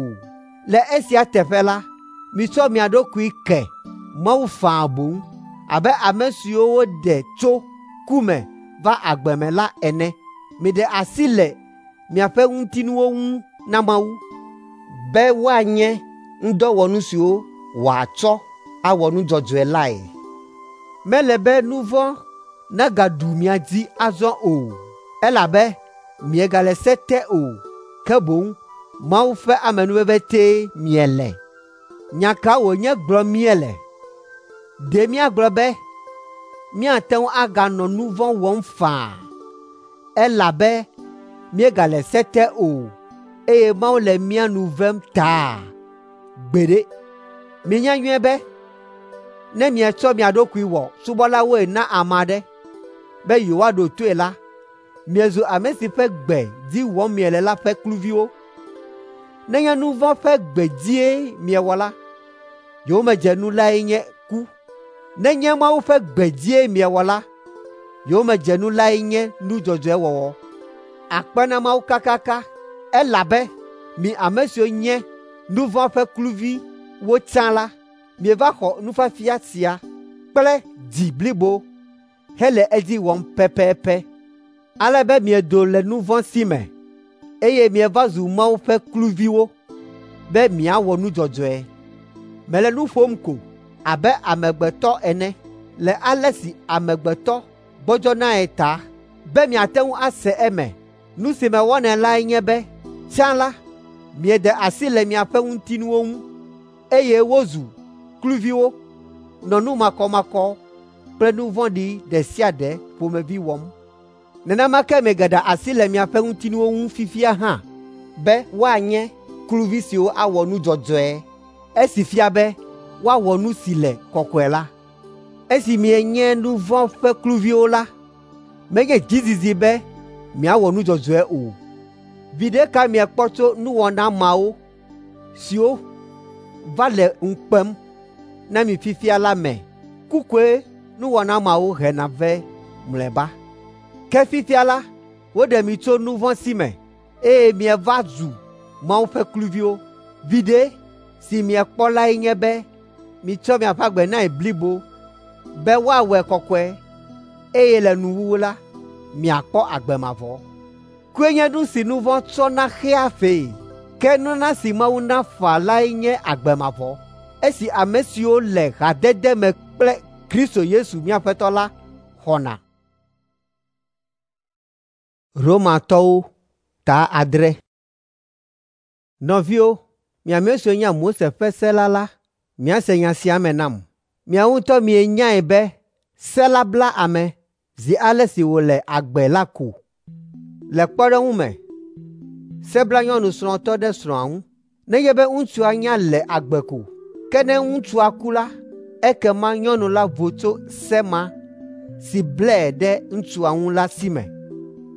Le esia teƒe la, mitsɔ mia ɖokui ke Mawu faa boŋ abe ame siwo woɖe tso ku me va agbe me la ene. Miɖe asi le miaƒe ŋutinuwo ŋu na Mawu be woanye ŋudɔwɔnu siwo wòatsɔ awɔ nu dzɔdzɔe lae. Mele be nu vɔ̃ nagaɖu mia dzi azɔ o, elabe miegale se te o, ke boŋ Mawu ƒe amenuveve tee miele. Nya ka wònye gblɔm míele? Ɖe míagblɔ be míate ŋu aganɔ nu vɔ̃ wɔm faa, elabe míegale se te o, eye Mawu le mía nu vem taa? Gbeɖe! Minya nyuie be ne mietsɔ mia ɖokui wɔ subɔlawoe na ame aɖe be yewoaɖo toe la, miezu ame si ƒe gbe dzi wɔm miele la ƒe kluviwo. Nenye nu vɔ̃ ƒe gbe dzie miewɔ la, yowòmedzenu lae nye ku. Nenye Mawu ƒe gbe dzie miewɔ la, yowòmedzenu lae nye nu dzɔdzɔe wɔwɔ. Akpe na Mawu kakaka, elabe mi ame siwo nye nu vɔ̃ ƒe kluviwo tsã la, mieva xɔ nufiafia sia kple dzi blibo hele edzi wɔm pɛpɛpɛ, ale be miedo le nu vɔ̃ si me, eye mieva zu Mawu ƒe kluviwo be miawɔ nu dzɔdzɔe. Mele nu ƒom ko abe amegbetɔ ene le ale si amegbetɔ gbɔdzɔnae ta, be miate ŋu ase eme. Nu si mewɔnɛ lae nye be tsã la, mieɖe asi le miaƒe ŋutinuwo ŋu, eye wozu kluviwo nɔ nu makɔmakɔ kple nu vɔ̃ɖi ɖe sia ɖe ƒomevi wɔm. Nenema ke migaɖe asi le miaƒe ŋutinuwo ŋu fifia hã be woanye kluvi siwo awɔ nu dzɔdzɔe, esi fia be woawɔ nu si le kɔkɔe la. Esi mienye nu vɔ̃ ƒe kluviwo la, menye dzizizi be miawɔ nu dzɔdzɔe o. Viɖe ka miekpɔ tso nuwɔna mawo siwo va le ŋu kpem na mi fifia la me? Ku koe nuwɔna mawo hena vɛ mlɔeba. Ke fifia la, woɖe mi tso nu vɔ̃ si me, eye mieva zu Mawu ƒe kluviwo. Viɖe si miekpɔ lae nye be mitsɔ miaƒe agbe nae blibo be woawɔe kɔkɔe, eye le nuwuwu la, miakpɔ agbe mavɔ. Kue nye nu si nu vɔ̃ tsɔna xea fee, ke nunana si Mawu na faa lae nye agbe mavɔ, esi ame siwo le hadede me kple Kristo Yesu mía Aƒetɔ la xɔna. Romatɔwo ta adre. Nɔviwo, mi ame siwo nya Mose ƒe se la la, miase nya sia me nam. Miawo ŋutɔ mienyae be se la bla ame zi ale si wòle agbe la ko. Le kpɔɖeŋu me, se bla nyɔnu srɔ̃tɔ ɖe srɔ̃a ŋu, nenye be ŋutsua nya le agbe ko. Ke ne ŋutsua ku la, ekema nyɔnu la vo tso se ma si blae ɖe ŋutsua ŋu la si me.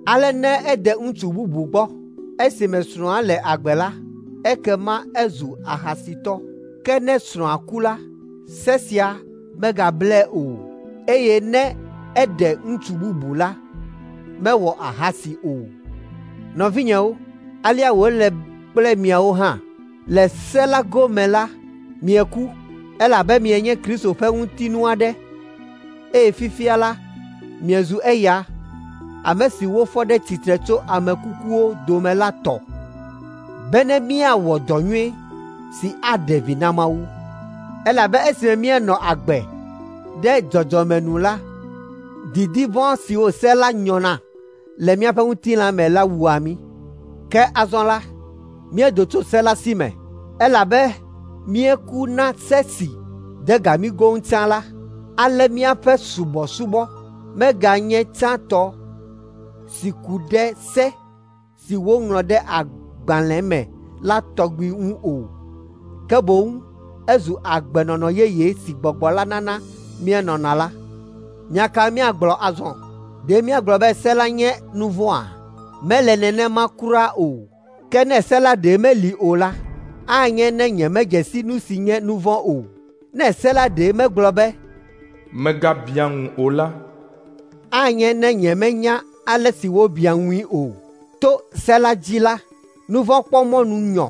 Ale ne ede ŋutsu bubu gbɔ esime srɔ̃a le agbe la, ekema ezu ahasitɔ. Ke ne srɔ̃a ku la, se sia megablae o, eye ne eɖe ŋutsu bubu la, mewɔ ahasi o. Nɔvinyewo, alea wòle kple miawo hã. Le se la gome la, mieku, elabe mienye Kristo ƒe ŋutinu aɖe, eye fifia la, miezu eya, ame si wofɔ ɖe tsitre tso ame kukuwo dome la tɔ, bene míawɔ dɔ nyui si aɖe vi na Mawu. Elabe esime míenɔ agbe ɖe dzɔdzɔme nu la, didi vɔ̃ siwo se la nyɔna le míaƒe ŋutilã me la wua mí. Ke azɔ la, míedo tso se la si me, elabe míeku na se si de ga mí goŋ tsã la, ale míaƒe subɔsubɔ meganye tsãtɔ si ku ɖe se si woŋlɔ ɖe agbalẽ me la tɔgbi ŋu o, ke boŋ ezu agbenɔnɔ yeye si Gbɔgbɔ la nana míenɔna la. Nya ka míagblɔ azɔ? Ɖe míagblɔ be se la nye nu vɔ̃a? Mele nenema kura o. Ke ne se la ɖe meli o la, anye ne nyemedze si nu si nye nu vɔ̃ o. Ne se la ɖe megblɔ be,
Mègabiã ŋu o la,
anye ne nyemenya ale si wobiã ŋui o. To se la dzi la, nu vɔ̃ kpɔ mɔnu nyɔ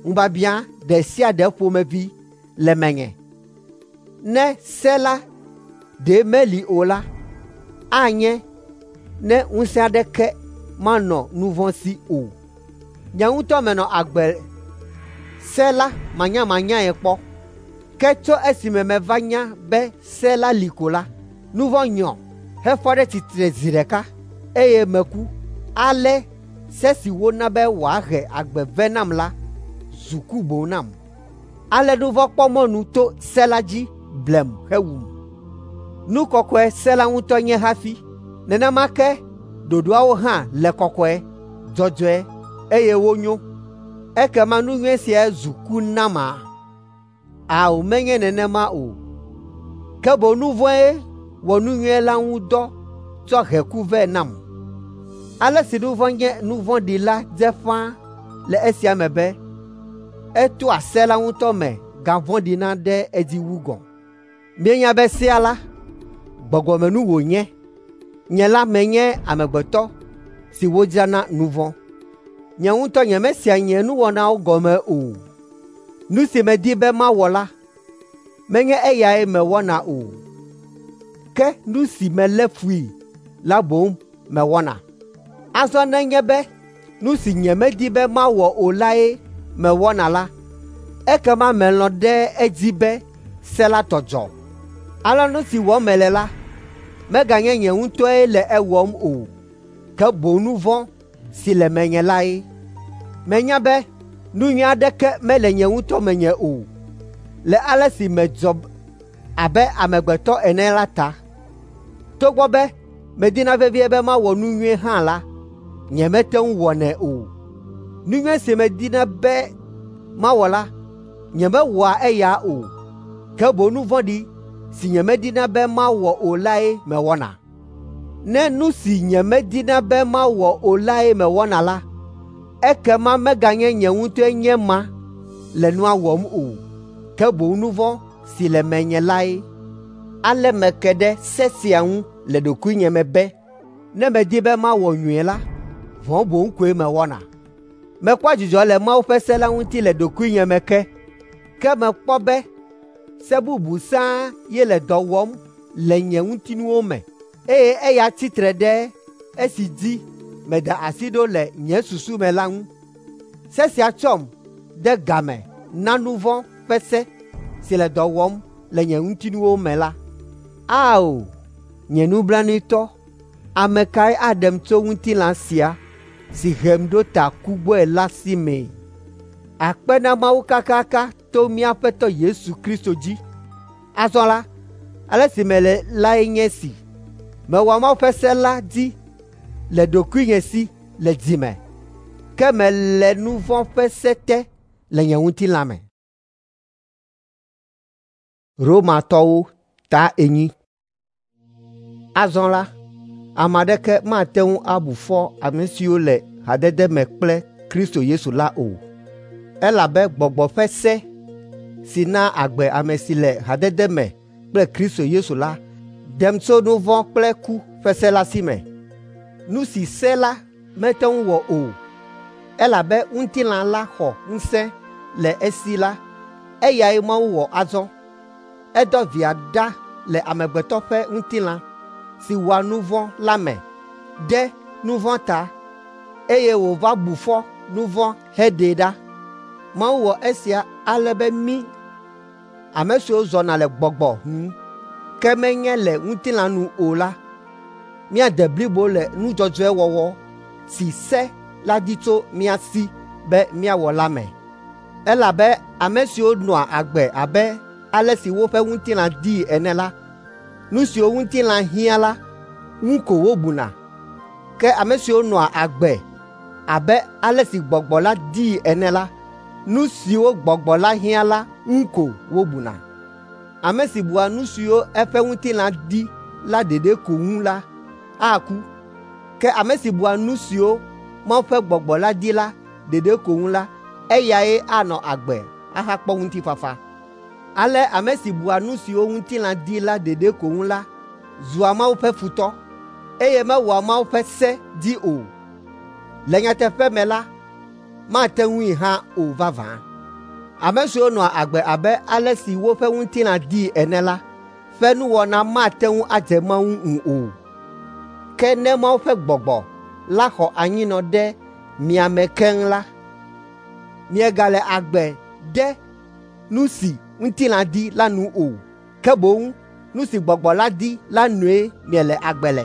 ŋubiabiã ɖe sia ɖe ƒomevi le menye. Ne se la ɖe meli o la, anye ne ŋusẽ aɖeke manɔ nu vɔ̃ si o. Nye ŋutɔ menɔ agbe se la manyamanyae kpɔ. Ke tso esime meva nya be se la li ko la, nu vɔ̃ nyɔ hefɔ ɖe tsitre zi ɖeka, eye meku. Ale se si wona be wòahe agbe vɛ nam la zu ku boŋ nam. Ale nu vɔ̃ kpɔ mɔnu to se la dzi blem hewum. Nu kɔkɔe se la ŋutɔ nye hafi. Nenema ke ɖoɖoawo hã le kɔkɔe, dzɔdzɔe eye wonyo. Ekema nu nyui sia zu ku nama? Ao, menye nenema o. Ke boŋ nu vɔ̃e wɔ nu nyui la ŋu dɔ tsɔ he ku vɛ nam. Ale si nu vɔ̃ nye nu vɔ̃ɖi la dze ƒãa le esia me be etoa se la ŋutɔ me gavɔ̃ɖina ɖe edzi wu gɔ̃. Míenya be sea la, gbɔgbɔmenu wònye. Nye la menye amegbetɔ si wodzra na nu vɔ̃. Nye ŋutɔ nyemesea nye nuwɔnawo gɔme o. Nu si medi be mawɔ la, menye eyae mewɔna o. Ke nu si melé fui la boŋ mewɔna. Azɔ nenye be nu si nyemedi be mawɔ o lae mewɔna la, ekema melɔ̃ ɖe edzi be se la tɔ dzɔ. Ale nu si wɔm mele la, meganye nye ŋutɔe le ewɔm o, ke boŋ nu vɔ̃ si le menye lae. Menya be nu nyui aɖeke mele nye ŋutɔ menye o, le ale si medzɔ abe amegbetɔ ene la ta. Togbɔ be medina vevie be mawɔ nu nyui hã la, nyemete ŋu wɔnɛ o. Nu nyui si medina be mawɔ la, nyemewɔa eya o, ke boŋ nu vɔ̃ɖi si nyemedina be mawɔ o lae mewɔna. Ne nu si nyemedina be mawɔ o lae mewɔna la, ekema meganye nye ŋutɔe nye ma le nua wɔm o, ke boŋ nu vɔ̃ si le menye lae. Ale meke ɖe se sia ŋu le ɖokuinye me be, ne medi be mawɔ nyui la, vɔ̃ boŋ koe mewɔna. Mekpɔa dzidzɔ le Mawu ƒe se la ŋuti le ɖokuinye me ke, ke mekpɔ be se bubu sãa ye le dɔ wɔm le nye ŋutinuwo me, eye eya tsitre ɖe esi dzi meda asi ɖo le nye susu me la ŋu. Se sia tsɔm de game na nu vɔ̃ ƒe se si le dɔ wɔm le nye ŋutinuwo me la. Ao, nye nublanuitɔ, ame kae aɖem tso ŋutilã sia si hem ɖo ta ku gbɔe la si mee? Akpe na Mawu kakaka to mía Aƒetɔ Yesu Kristo dzi. Azɔ la, ale si mele lae nye esi: mewɔa Mawu ƒe se la dzi le ɖokuinye si le dzi me, ke mele nu vɔ̃ ƒe se te le nye ŋutilã me. Romatɔwo ta enyi. Azɔ la, ame aɖeke mate ŋu abu fɔ ame siwo le hadede me kple Kristo Yesu la o, elabe gbɔgbɔ ƒe se si naa agbe ame si le hadede me kple Kristo Yesu la ɖem tso nu vɔ̃ kple ku ƒe se la si me. Nu si se la mete ŋu wɔ o, elabe ŋutilã la xɔ ŋusẽ le esi la, eyae Mawu wɔ azɔ. Edɔ via ɖa le amegbetɔ ƒe ŋutilã si wɔa nu vɔ̃ la me ɖe nu vɔ̃ ta, eye wòva bu fɔ nu vɔ̃ heɖee ɖa. Mawu wɔ esia ale be mí, ame siwo zɔna le gbɔgbɔ nu, ke menye le ŋutilã nu o la, míade blibo le nu dzɔdzɔe wɔwɔ si se la di tso mía si be míawɔ la me. Elabe ame siwo nɔa agbe abe ale si woƒe ŋutilã dii ene la, nu siwo ŋutilã hiã la ŋu ko wobuna. Ke ame siwo nɔa agbe abe ale si gbɔgbɔ la dii ene la, nu siwo gbɔgbɔ la hiã la ŋu ko wobuna. Ame si bua nu siwo eƒe ŋutilã di la ɖeɖe ko ŋu la, aku. Ke ame si bua nu siwo Mawu ƒe gbɔgbɔ la di la ɖeɖe ko ŋu la, eyae anɔ agbe ahakpɔ ŋutifafa. Ale ame si bua nu siwo ŋutilã di la ɖeɖe ko ŋu la zua Mawu ƒe futɔ, eye mewɔa Mawu ƒe se dzi o. Le nyateƒe me la, mate ŋui hã o vavã. Ame siwo nɔa agbe abe ale si woƒe ŋutilã dii ene la ƒe nuwɔna mate ŋu adze Mawu ŋu o. Ke ne Mawu ƒe Gbɔgbɔ la xɔ anyinɔ ɖe mia me keŋ la, miegale agbe ɖe nu si ŋutilã di la nu o, ke boŋ nu si Gbɔgbɔ la di la nue miele agbe le.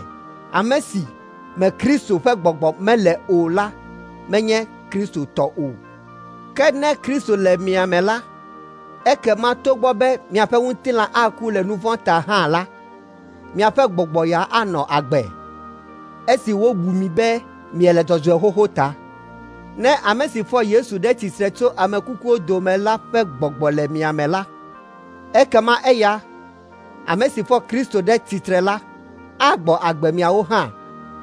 Ame si me Kristo ƒe Gbɔgbɔ mele o la menye Kristo tɔ o. Ke ne Kristo le mia me la, ekema togbɔ be miaƒe ŋutilã aku le nu vɔ̃ ta hã la, miaƒe gbɔgbɔ ya anɔ agbe, esi wobu mi be miele dzɔdzɔe xoxo ta. Ne ame si fɔ Yesu ɖe tsitre tso ame kukuwo dome la ƒe gbɔgbɔ le mia me la, ekema eya, ame si fɔ Kristo ɖe tsitre la, agbɔ agbe miawo hã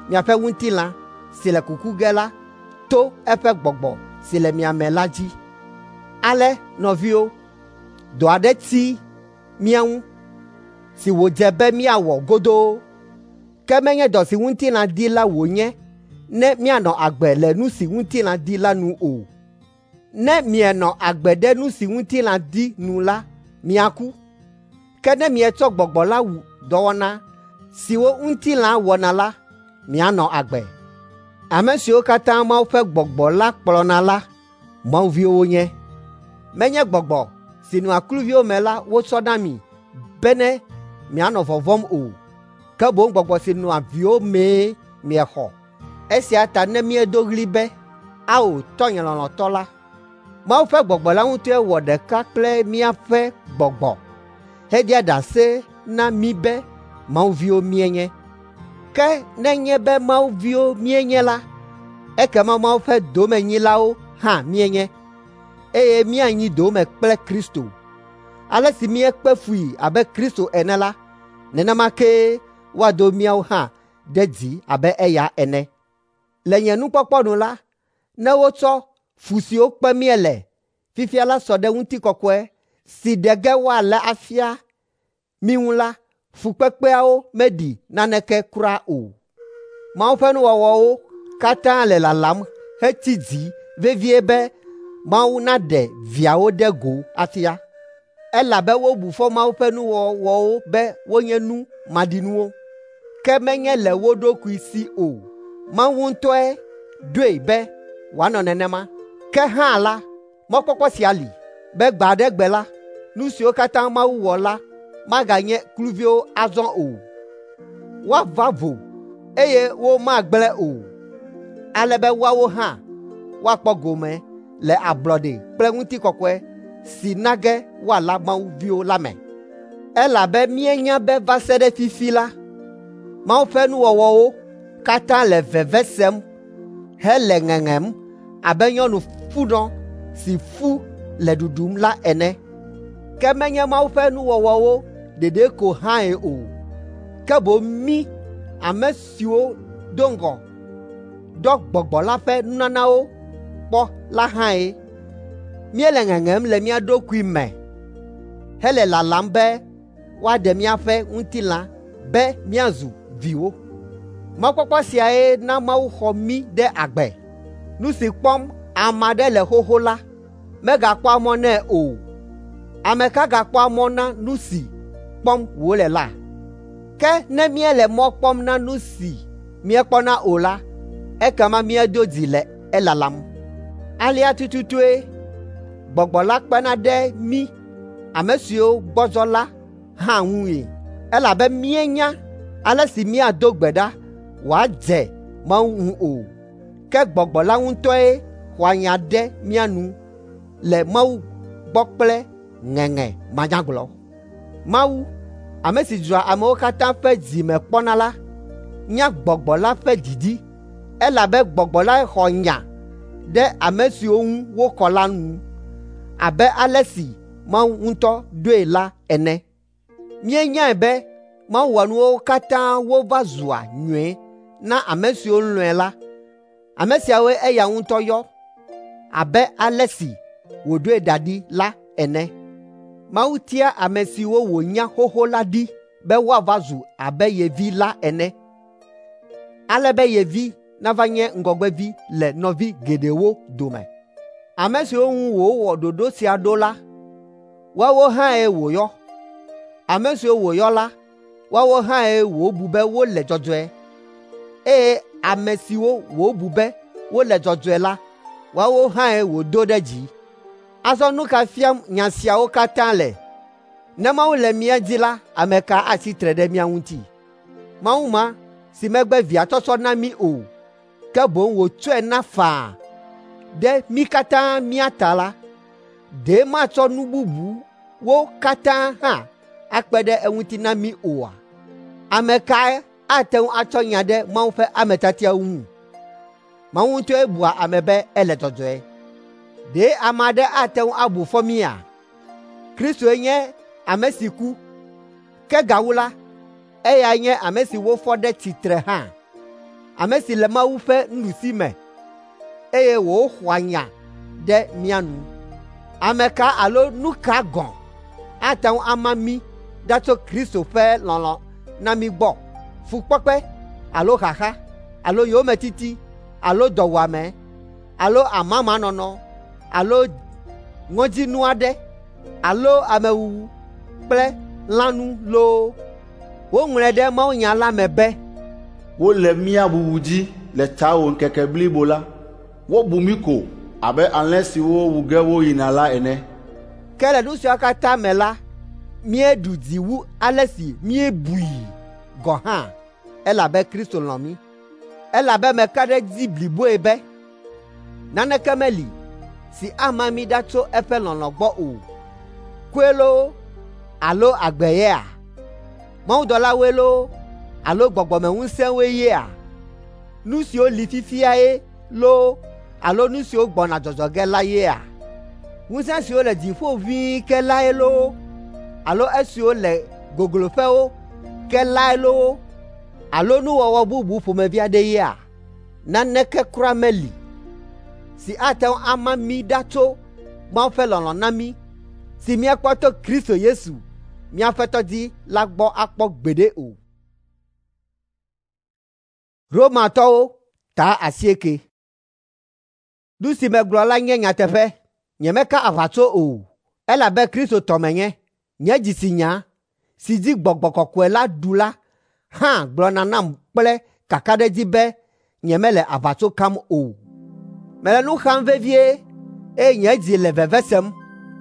miaƒe ŋutilã si le kuku ge la to eƒe gbɔgbɔ si le mia me la dzi. Ale nɔviwo, dɔ aɖe ti mía ŋu si wòdze be míawɔ godoo, ke menye dɔ si ŋutilã di la wònye ne míanɔ agbe le nu si ŋutilã di la nu o. Ne mienɔ agbe ɖe nu si ŋutilã di nu la, miaku. Ke ne mietsɔ gbɔgbɔ la wu dɔwɔna siwo ŋutilã wɔna la, mianɔ agbe. Ame siwo katã Mawu ƒe Gbɔgbɔ la kplɔna la, Mawu viwo wonye. Menye gbɔgbɔ si nɔa kluviwo me la wotsɔ na mi bene mianɔ vɔvɔ̃m o, ke boŋ gbɔgbɔ si nɔa viwo mee miexɔ. Esia ta ne míedo ɣli be, “Ao, tɔnye lɔlɔ̃tɔ la,” Mawu ƒe Gbɔgbɔ la ŋutɔe wɔ ɖeka kple míaƒe gbɔgbɔ heɖia ɖase na mí be Mawu viwo míenye. Ke nenye be Mawu viwo míenye la, ekema Mawu ƒe domenyilawo hã míenye, eye míanyi dome kple Kristo. Ale si míekpe fui abe Kristo ene la, nenema kee woado míawo hã ɖe dzi abe eya ene. Le nye nukpɔkpɔ nu la, ne wotsɔ fu siwo kpem míele fifia la sɔ ɖe ŋutikɔkɔe si ɖe ge woala afia mí ŋu la, fukpekpeawo meɖi naneke kura o. Mawu ƒe nuwɔwɔwo katã le lalam hetsi dzi vevie be Mawu naɖe viawo ɖe go afia. Elabe wobu fɔ Mawu ƒe nuwɔwɔwo be wonye nu maɖinuwo, ke menye le wo ɖokui si o. Mawu ŋutɔe ɖoe be wòanɔ nenema. Ke hã la, mɔkpɔkpɔ sia li be gbe aɖe gbe la, nu siwo katã Mawu wɔ la maganye kluviwo azɔ o. Woava vo, eye womagblẽ o, ale be woawo hã woakpɔ gome le ablɔɖe kple ŋutikɔkɔe si na ge woala Mawu viwo la me. Elabe míenya be va se ɖe fifi la, Mawu ƒe nuwɔwɔwo katã le veve sem hele ŋeŋem abe nyɔnu funɔ si fu le ɖuɖum la ene. Ke menye Mawu ƒe nuwɔwɔwo ɖeɖe ko hãe o, ke boŋ mí ame siwo do ŋgɔ ɖɔ Gbɔgbɔ la ƒe nunanawo kpɔ la hãe. Míele ŋeŋem le mía ɖokui me hele lalam be woaɖe míaƒe ŋutilã be míazu viwo. Mɔkpɔkpɔ siae na Mawu xɔ mí ɖe agbe. Nu si kpɔm ame aɖe le xoxo la, megakpɔa mɔ nɛ o. Ame ka gakpɔa mɔ na nu si kpɔm wòle la? Ke ne míele mɔ kpɔm na nu si míekpɔna o la, ekema míedo dzi le elalam. Alea tututue Gbɔgbɔ la kpena ɖe mí ame siwo gbɔdzɔ la hã ŋui, elabe míenya ale si míado gbe ɖa wòadze Mawu ŋu o. Ke Gbɔgbɔ la ŋutɔe xɔa nya ɖe mía nu le Mawu gbɔ kple ŋeŋe manyagblɔ. Mawu, ame si dzroa amewo katã ƒe dzi me kpɔna la, nya Gbɔgbɔ la ƒe didi, elabe Gbɔgbɔ lae xɔ nya ɖe ame siwo ŋu wokɔ la nu abe ale si Mawu ŋutɔ ɖoe la ene. Míenyae be Mawu wɔa nuwo katã wova zua nyui na ame siwo lɔ̃e la. Ame siawoe eya ŋutɔ yɔ abe ale si wòɖoe da ɖi la ene. Mawu tia ame siwo wònya xoxo la ɖi be woava zu abe ye vi la ene, ale be ye vi nava nye ŋgɔgbevi le nɔvi geɖewo dome. Ame siwo ŋu wòwɔ ɖoɖo sia ɖo la, woawo hãe wòyɔ. Ame siwo wòyɔ la, woawo hãe wòbu be wole dzɔdzɔe, eye ame siwo wòbu be wole dzɔdzɔe la, woawo hãe wòdo ɖe dzi. Azɔ nu ka fiam nya siawo katã le? Ne Mawu le mía dzi la, ame ka atsi tre ɖe mía ŋuti? Mawu ma si megbe via tsɔtsɔ na mí o, ke boŋ wòtsɔe na faa ɖe mí katã mía ta la, ɖe matsɔ nu bubuwo katã hã akpe ɖe eŋuti na mí oa? Ame kae ate ŋu atsɔ nya ɖe Mawu ƒe ame tiatiawo ŋu? Mawu ŋutɔe bua ame be ele dzɔdzɔe. Ɖe ame aɖe ate ŋu abu fɔ mía? Kristoe nye ame si ku, ke gawu la, eyae nye ame si wofɔ ɖe tsitre hã, ame si le Mawu ƒe nuɖusime, eye wòxɔa nya ɖe mía nu. Ame ka alo nu ka gɔ̃ ate ŋu ama mí ɖa tso Kristo ƒe lɔlɔ̃ na mí gbɔ? Fukpekpe alo xaxa alo yometiti alo dɔwuame alo amamanɔnɔ alo ŋɔdzinu aɖe alo amewuwu kple lãnu loo. Woŋlɔe ɖe mawunya la me be,
Wole mía wuwu dzi le tawò ŋkeke blibo la. Wobu mí ko abe alẽ siwo wu ge woyina la ene.
Ke le nu siawo katã me la, míeɖu dzi wu ale si míebui gɔ̃ hã, elabe Kristo lɔ̃ mí. Elabe meka ɖe edzi bliboe be naneke meli si ama mí ɖa tso eƒe lɔlɔ̃ gbɔ o. Kue loo alo agbe yea? Mawudɔlawoe loo alo gbɔgbɔmeŋusẽwoe yea? Nu siwo li fifiae loo alo nu siwo gbɔna dzɔdzɔ ge la yea? Ŋusẽ siwo le dziƒo ʋĩi ke lae loo alo esiwo le gogloƒewo ke lae loo alo nuwɔwɔ bubu ƒomevi aɖe yea? Naneke kura meli si ate ŋu ama mí ɖa tso Mawu ƒe lɔlɔ̃ na mí si míekpɔ to Kristo Yesu, mía Aƒetɔ dzi la gbɔ akpɔ gbeɖe o. Romatɔwo ta asieke. Nu si megblɔ la nye nyateƒe, nyemeka aʋatso o, elabe Kristo tɔ menye. Nye dzitsinya si dzi Gbɔgbɔ Kɔkɔe la ɖu la hã gblɔna nam kple kakaɖedzi be nyemele aʋatso kam o. Mele nu xam vevie eye nye dzi le veve sem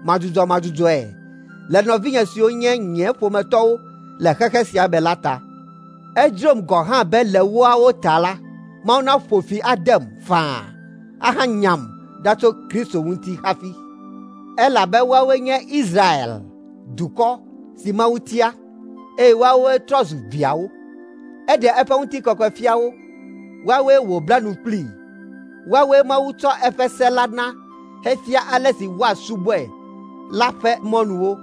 madzudzɔmadzudzɔe le nɔvinye siwo nye nye ƒometɔwo le xexe sia me la ta. Edzrom gɔ̃ hã be le woawo ta la, Mawu naƒo fi adem faa ahanyam ɖa tso Kristo ŋuti hafi. Elabe woawoe nye Israel dukɔ si Mawu tia, eye woawoe trɔ zu viawo. Eɖe eƒe ŋutikɔkɔe fia wo, woawoe wòbla nu kplii. Woawoe Mawu tsɔ eƒe se la na hefia ale si woasubɔe la ƒe mɔnuwo.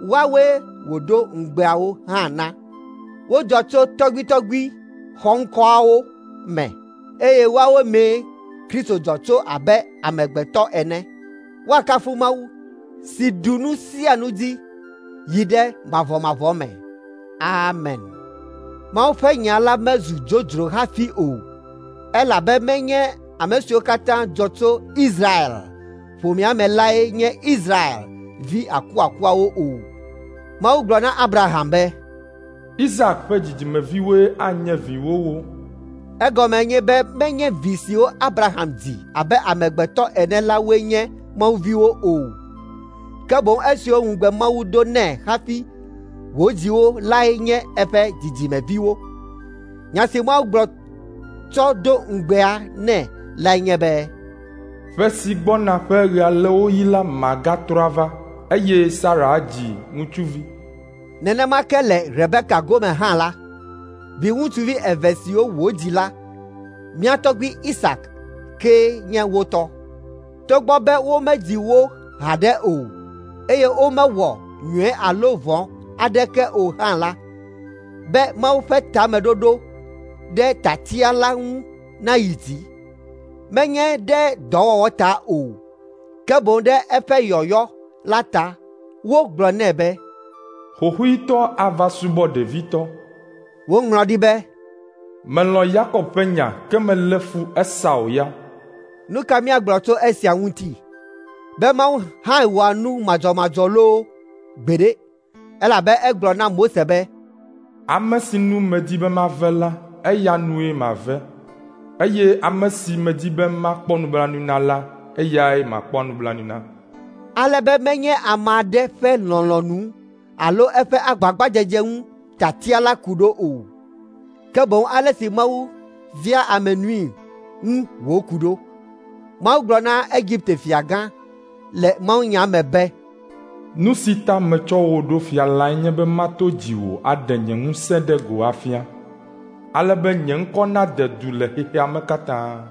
Woawoe wòdo ŋugbeawo hã na. Wodzɔ tso tɔgbuitɔgbui xɔŋkɔawo me, eye woawo mee Kristo dzɔ tso abe amegbetɔ ene. Woakafu Mawu si ɖu nu sia nu dzi yi ɖe mavɔmavɔ me. Amen. Mawu ƒe nya la mezu dzodzro hafi o, elabe menye ame siwo katã dzɔ tso Israel ƒomea me lae nye Israel vi akuakuawo o. Mawu gblɔ na Abraham be,
Isak ƒe dzidzimeviwoe anye viwòwo.
Egɔme nye be menye vi siwo Abraham dzi abe amegbetɔ ene la woe nye Mawu viwo o, ke boŋ esiwo ŋugbe Mawu do nɛ hafi wòdzi wo lae nye eƒe dzidzimeviwo. Nya si Mawu gblɔ tsɔ do ŋugbea nɛ lae nye be,
Ƒe si gbɔna ƒe ɣealewoɣi la magatrɔ ava, eye Sara adzi ŋutsuvi.
Nenema ke le Rebeka gome hã la, viŋutsuvi eve siwo wòdzi la, mía tɔgbui Isak kee nye wo tɔ. Togbɔ be womedzi wo haɖe o, eye womewɔ nyui alo vɔ̃ aɖeke o hã la, be Mawu ƒe tameɖoɖo ɖe tiatia la ŋu nayi dzi, menye ɖe dɔwɔwɔ ta o, ke boŋ ɖe eƒe yɔyɔ la ta, wogblɔ nɛ be,
Xoxoetɔ ava subɔ ɖevitɔ.
Woŋlɔ ɖi be,
Melɔ̃ Yakob ƒe nya ke melé fu Esau ya.
Nu ka míagblɔ tso esia ŋuti? Be Mawu hã wɔa nu madzɔmadzɔ loo? Gbeɖe! Elabe egblɔ na Mose be,
Ame si nu medi be mave la, eya nue mave, eye ame si medi be makpɔ nublanui na la, eyae makpɔ nublanui na.
Ale be menye ame aɖe ƒe lɔlɔ̃nu alo eƒe agbagbadzedze ŋu tiatia la ku ɖo o, ke boŋ ale si Mawu via ame nui ŋu wòku ɖo. Mawu gblɔ na Egipte fiagã le mawunya me be,
Nu si ta metsɔ wò ɖo fia lae nye be mato dziwò aɖe nye ŋusẽ ɖe go afia, ale be nye ŋkɔ nade du le xexea me katã.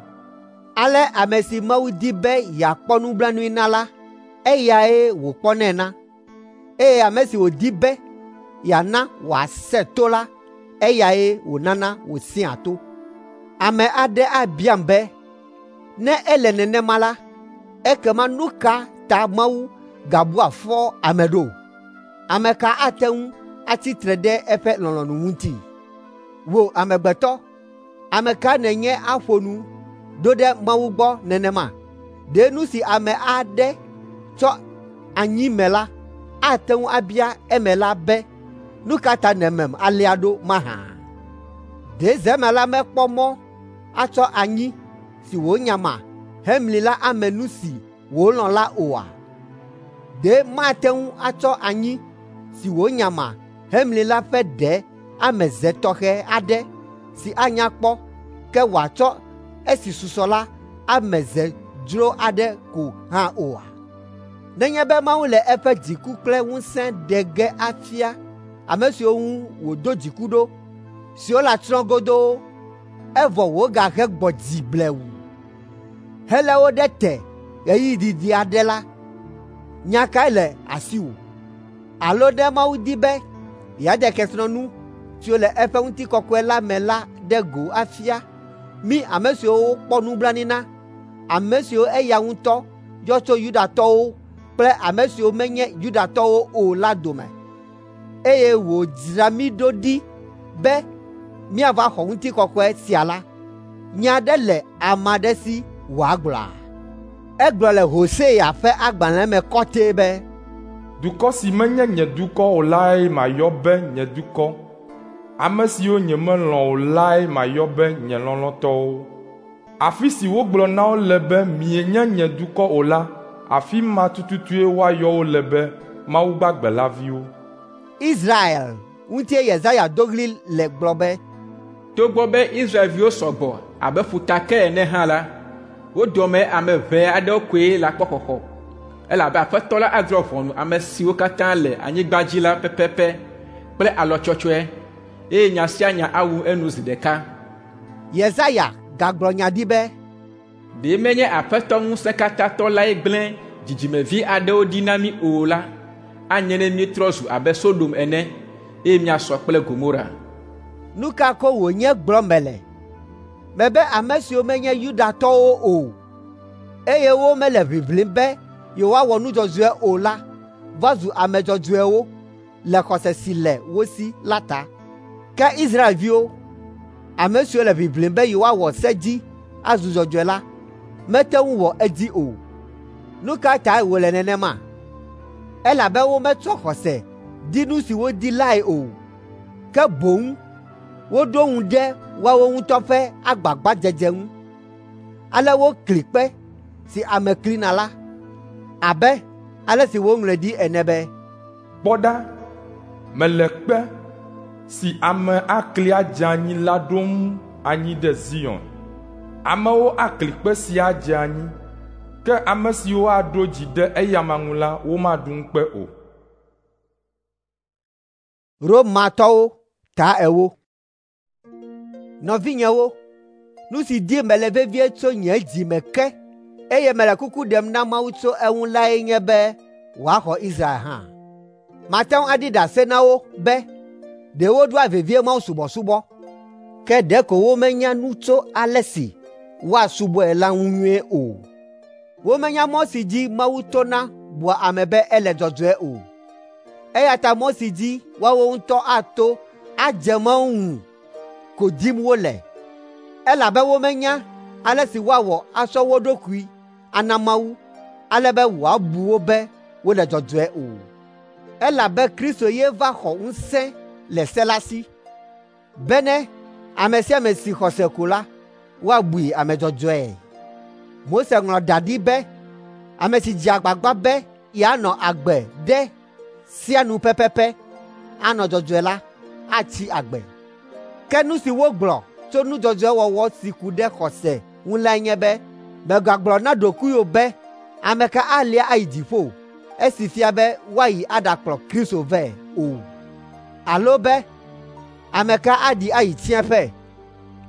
Ale ame si Mawu di be yeakpɔ nublanui na la, eyae wòkpɔnɛ na, eye ame si wòdi be yeana wòasẽ to la, eyae wònana wòsẽa to. Ame aɖe abiam be, ne ele nenema la, ekema nu ka ta Mawu gabua fɔ ame ɖo? Ame ka ate ŋu atsi tre ɖe eƒe lɔlɔ̃nu ŋuti? Wò amegbetɔ, ame ka nènye aƒo nu ɖo ɖe Mawu gbɔ nenema? Ɖe nu si ame aɖe tsɔ anyi me la ate ŋu abia emela be, nu ka ta nèmem alea ɖo mahã? Ɖe zemela mekpɔ mɔ atsɔ anyi si wònyama hemli la ame nu si wòlɔ̃ la oa? Ɖe mate ŋu atsɔ anyi si wònyama hemli la ƒe ɖe ame ze tɔxɛ aɖe si anya kpɔ, ke wòatsɔ esi susɔ la ame ze dzro aɖe ko hã oa? Nenye be Mawu le eƒe dziku kple ŋusẽ ɖe ge afia ame siwo ŋu wòdo dziku ɖo, siwo le atsrɔ̃ godoo, evɔ wògahe gbɔ dzi blewu helé wo ɖe te ɣeyiɣi didi aɖe la, nya kae le asiwò? Alo ɖe Mawu di be yeaɖe kesinɔnu siwo le eƒe ŋutikɔkɔe la me la ɖe go afia mí ame siwo wokpɔ nublanui na, ame siwo eya ŋutɔ yɔ tso Yudatɔwo kple ame siwo menye Yudatɔwo o la dome, eye wòdzra mí ɖo ɖi be míava xɔ ŋutikɔkɔe sia la, nya aɖe le ame aɖe si wòagblɔa? Egblɔ le Hosea ƒe agbalẽ me kɔtɛe be,
Dukɔ si menye nye dukɔ o lae mayɔ be nye dukɔ. Ame siwo nyemelɔ̃ o lae mayɔ be nye lɔlɔ̃tɔwo. Afi si wogblɔ na wo le be mienye nye dukɔ o la, afi ma tututue woayɔ wo le be Mawu gbagbe la viwo.
Israel ŋutie Yesaya do ɣli le gblɔ be,
Togbɔ be Israelviwo sɔgbɔ abe ƒutake ene hã la, wo dome ame ʋɛ aɖewo koe le akpɔ xɔxɔ, elabe Aƒetɔ la adrɔ̃ ʋɔnu ame siwo katã le anyigba dzi la pɛpɛpɛ kple alɔ tsɔtsɔe, eye nya sia nya awu enu zi ɖeka.
Yesaya gagblɔ nya ɖi be,
Ɖe menye Aƒetɔ Ŋusẽkatãtɔ lae gblẽ dzidzimevi aɖewo ɖi na mí o la, anye ne míetrɔ zu abe Sodom ene, eye míasɔ kple Gomora.
Nu ka ko wònye gblɔm mele? Mebe ame siwo menye Yudatɔwo o, eye womele ʋiʋlim be yewoawɔ nu dzɔdzɔe o la va zu ame dzɔdzɔewo le xɔse si le wo si la ta. Ke Israelviwo, ame siwo le ʋiʋlim be yewoawɔ se dzi azu dzɔdzɔe la, mete ŋu wɔ edzi o. Nu ka tae wòle nenema? Elabe wometsɔ xɔse di nu si wodi lae o, ke boŋ woɖo ŋu ɖe woawo ŋutɔ ƒe agbagbadzedze ŋu. Ale wokli kpe si ame klina la, abe ale si woŋlɔe ɖi ene be,
Kpɔ ɖa, mele kpe si ame akli adze anyi la ɖom anyi ɖe Zion. Amewo akli kpe sia adze anyi, ke ame siwo aɖo dzi ɖe eyama ŋu la, womaɖu ŋukpe o.
Romatɔwo ta ewo. Nɔvinyewo, nu si dim mele vevie tso nye dzi me ke, eye mele kuku ɖem na Mawu tso eŋu lae nye be wòaxɔ Israel hã. Mate ŋu aɖi ɖase na wo be ɖe wodoa vevie mawusubɔsubɔ, ke ɖeko womenya nu tso ale si woasubɔe la ŋu nyuie o. Womenya mɔ si dzi Mawu tona bua ame be ele dzɔdzɔe o. Eya ta mɔ si dzi woawo ŋutɔ ato adze Mawu ŋu ko dim wole, elabe womenya ale si woawɔ atsɔ wo ɖokui ana Mawu ale be wòabu wo be wole dzɔdzɔe o. Elabe Kristo ye va xɔ ŋusẽ le se la si, bene ame sia ame si xɔ se ko la, woabui ame dzɔdzɔe. Mose ŋlɔ da ɖi be ame si dze agbagba be yeanɔ agbe ɖe sea nu pɛpɛpɛ anɔ dzɔdzɔe la atsi agbe. Ke nu si wogblɔ tso nu dzɔdzɔe wɔwɔ si ku ɖe xɔse ŋu lae nye be, mègagblɔ na ɖokuiwò be, ame ka alia ayi dziƒo, esi fia be woayi aɖakplɔ Kristo vɛ o, alo be ame ka aɖi ayi tsiẽƒe,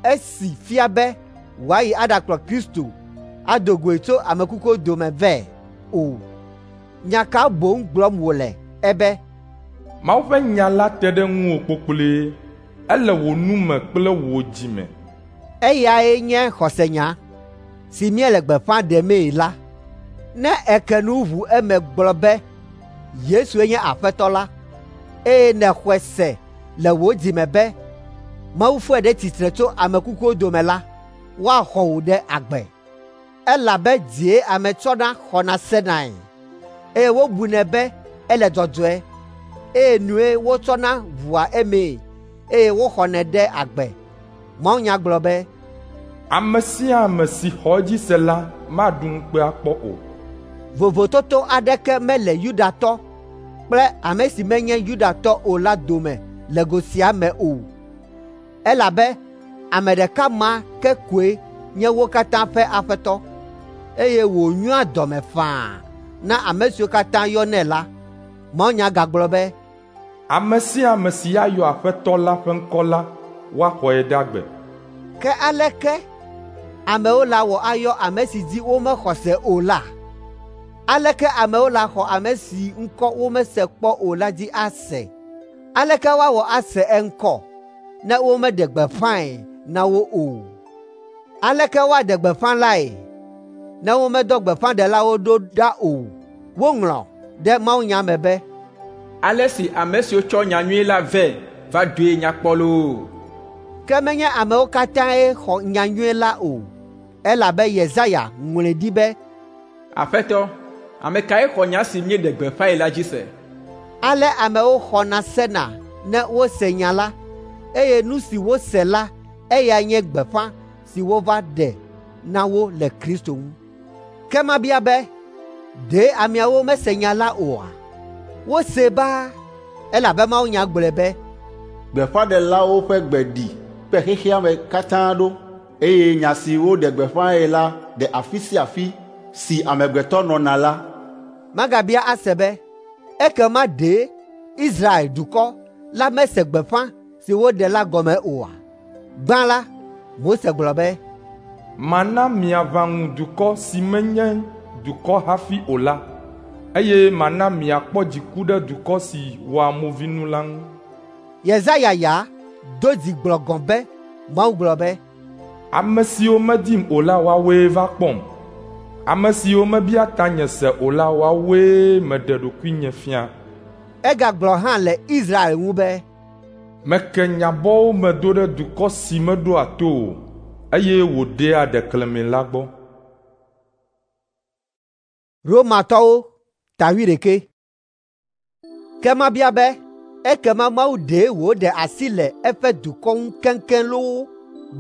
esi fia be wòayi aɖakplɔ Kristo ado goe tso ame kukuwo dome vɛ o. Nya ka boŋ gblɔm wòle ebe,
Mawu ƒe nya la te ɖe ŋuwò kpokploe, ele wò nu me kple wò dzi me.
Eyae nye xɔsenya si míele gbeƒã ɖemee la. Ne èke nu ʋu eme gblɔ be Yesue nye Aƒetɔ la, eye nèxɔe se le wò dzi me be Mawu fɔe ɖe tsitre tso ame kukuwo dome la, woaxɔ wò ɖe agbe. Elabe dzie ame tsɔna xɔna senae, eye wobunɛ be ele dzɔdzɔe, eye nue wotsɔna ʋua emee, eye woxɔnɛ ɖe agbe. Mawunya gblɔ be,
Ame sia ame si xɔ edzi se la maɖu ŋukpe akpɔ o.
Vovototo aɖeke mele Yudatɔ kple ame si menye Yudatɔ o la dome le go sia me o, elabe ame ɖeka ma ke koe nye wo katã ƒe Aƒetɔ, eye wònyoa dɔme faa na ame siwo katã yɔnɛ la. Mawunya gagblɔ be,
Ame sia ame si ayɔ Aƒetɔ la ƒe ŋkɔ la, woaxɔe ɖe agbe.
Ke aleke amewo la wɔ ayɔ ame si dzi womexɔ se o la? Aleke amewo la xɔ ame si ŋkɔ womese kpɔ o la dzi ase? Aleke woawɔ ase eŋkɔ ne womeɖe gbeƒãe na wo o? Aleke woaɖe gbeƒã lae ne womedɔ gbeƒãɖelawo ɖo ɖa o? Woŋlɔ ɖe mawunya me be,
Ale si ame siwo tsɔ nyanyui la vɛ va doe nya kpɔ loo.
Ke menye amewo katãe xɔ nyanyui la o, elabe Yesaya ŋlɔe ɖi be,
Aƒetɔ, ame kae xɔ nya si míeɖe gbeƒãe la dzi se?
Ale amewo xɔna sena ne wose nya la, eye nu si wose la eyae nye gbeƒã si wova ɖe na wo le Kristo ŋu. Ke mabia be, ɖe ameawo mese nya la oa? Wose baa, elabe mawunya gblɔe be,
Gbeƒãɖelawo ƒe gbe ɖi kpe xexea me katã ɖo, eye nya si woɖe gbeƒãe la ɖe afi sia afi si amegbetɔ nɔna la.
Magabia ase be, ekema ɖe Israel dukɔ la mese gbeƒã si woɖe la gɔme oa? Gbã la, Mose gblɔ be,
Mana miaʋã ŋu dukɔ si menye dukɔ hafi o la, eye mana miakpɔ dziku ɖe dukɔ si wɔa movinu la ŋu.
Yesaya ya do dzi gblɔ gɔ̃ be Mawu gblɔ be,
Ame siwo medim o la woawoe va kpɔm. Ame siwo mebia tanye se o la woawoe meɖe ɖokuinye fia.
Egagblɔ hã le Israel ŋu be,
Meke nye abɔwo me do ɖe dukɔ si meɖoa to o, eye wòɖea ɖeklemi la gbɔ.
Romatɔwo ta wuiɖekɛ. Ke mabia be, ekema Mawu ɖe wòɖe asi le eƒe dukɔ ŋu keŋkeŋ loo?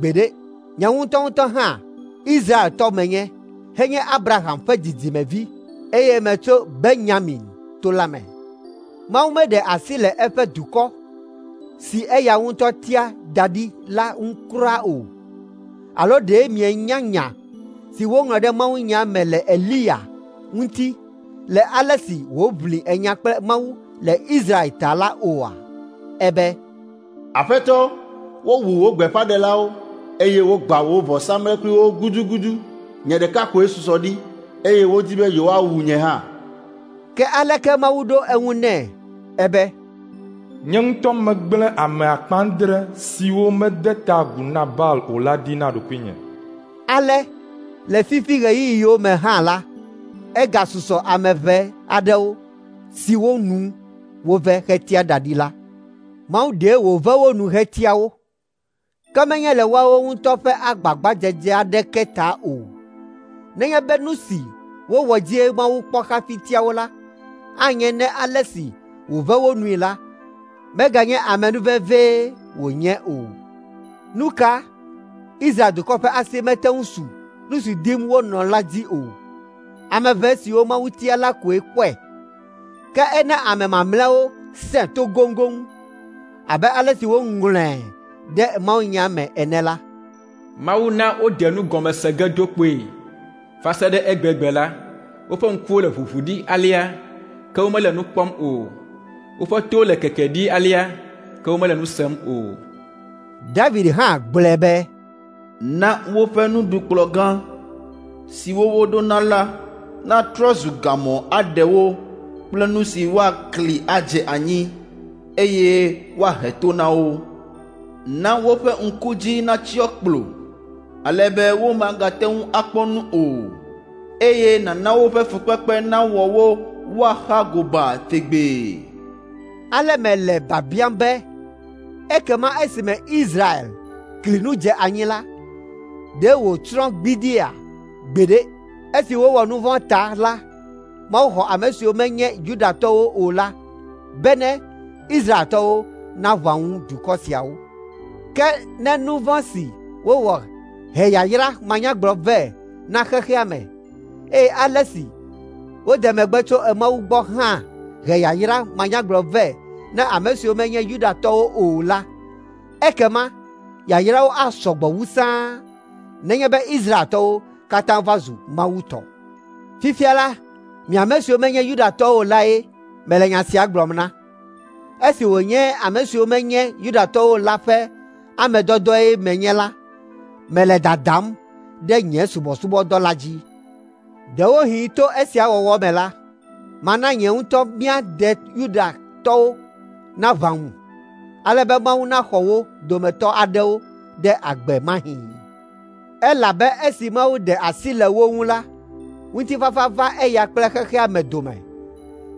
Gbeɖe! Nye ŋutɔŋutɔ hã Israeltɔ menye, henye Abraham ƒe dzidzimevi, eye metso Benyamin to la me. Mawu meɖe asi le eƒe dukɔ si eya ŋutɔ tia da ɖi la ŋu kura o. Alo ɖe mienya nya si woŋlɔ ɖe mawunya me le Eliya ŋuti le ale si wòʋli enya kple Mawu le Israel ta la oa? Ebe,
Aƒetɔ, wowu wò gbeƒãɖelawo, eye wogbã wò vɔsamlekpuiwo gudugudu. Nye ɖeka koe susɔ ɖi, eye wodi be yewoawu nye hã.
Ke aleke Mawu ɖo eŋu nɛ? Ebe,
Nye ŋutɔ megblẽ ame akpe adre siwo mede ta agu na Baal o la ɖi na ɖokuinye.
Ale le fifi ɣeyiɣiwo me hã la, egasusɔ ame ʋɛ aɖewo siwo nu wove hetia da ɖi la. Mawu ɖe wòve wo nu hetia wo. Ke menye le woawo ŋutɔ ƒe agbagbadzedze aɖeke ta o. Nenye be nu si wowɔ dzie Mawu kpɔ hafi tia wo la, anye ne ale si wòve wo nui la, meganye amenuvevee wònye o. Nu ka? Israel dukɔ ƒe asi mete ŋu su nu si dim wonɔ la dzi o. Ame ʋɛ siwo Mawu tia la koe kpɔe. Ke ena ame mamlɛawo sẽ to goŋgoŋ abe ale si woŋlɔe ɖe mawunya me ene la.
Mawu na woɖe nu gɔme se ge do kpoe. Va se ɖe egbegbe la, woƒe ŋkuwo le ʋuʋu ɖi alea, ke womele nu kpɔm o. Woƒe towo le keke ɖi alea, ke womele nu sem o.
David hã gblɔe be,
Na woƒe nuɖukplɔ̃ gã siwo woɖona la natrɔ zu gamɔ aɖe wo kple nu si woakli adze anyi, eye woahe to na wo. Na woƒe ŋku dzi natsyɔ kplo, ale be womagate ŋu akpɔ nu o, eye nàna woƒe fukpekpe nawɔ wo woaxa gobaa tegbee.
Ale mele biabiam be, ekema esime Israel kli nu dze anyi la, ɖe wòtsrɔ̃ gbidiia? Gbeɖe! Esi wowɔ nu vɔ̃ ta la, Mawu xɔ ame siwo menye Yudatɔwo o la bene Israeltɔwo naʋã ŋu dukɔ siawo. Ke ne nu vɔ̃ si wowɔ he yayra manyagblɔ vɛ na xexea me, eye ale si wode megbe tso Mawu gbɔ hã he yayra manyagblɔ vɛ na ame siwo menye Yudatɔwo o la, ekema yayrawo asɔ gbɔ wu sãa nenye be Israeltɔwo katã va zu Mawu tɔ. Fifia la, mi ame siwo menye Yudatɔwo o lae mele nya sia gblɔm na. Esi wònye ame siwo menye Yudatɔwo o la ƒe ame dɔdɔe menye la, mele dadam ɖe nye subɔsubɔdɔ la dzi. Ɖewohĩ to esia wɔwɔ me la, mana nye ŋutɔ mía de Yudatɔwo naʋã ŋu, ale be Mawu naxɔ wo dometɔ aɖewo ɖe agbe mahĩ. Elabe esi Mawu ɖe asi le wo ŋu la, ŋutifafa va eya kple xexea me dome.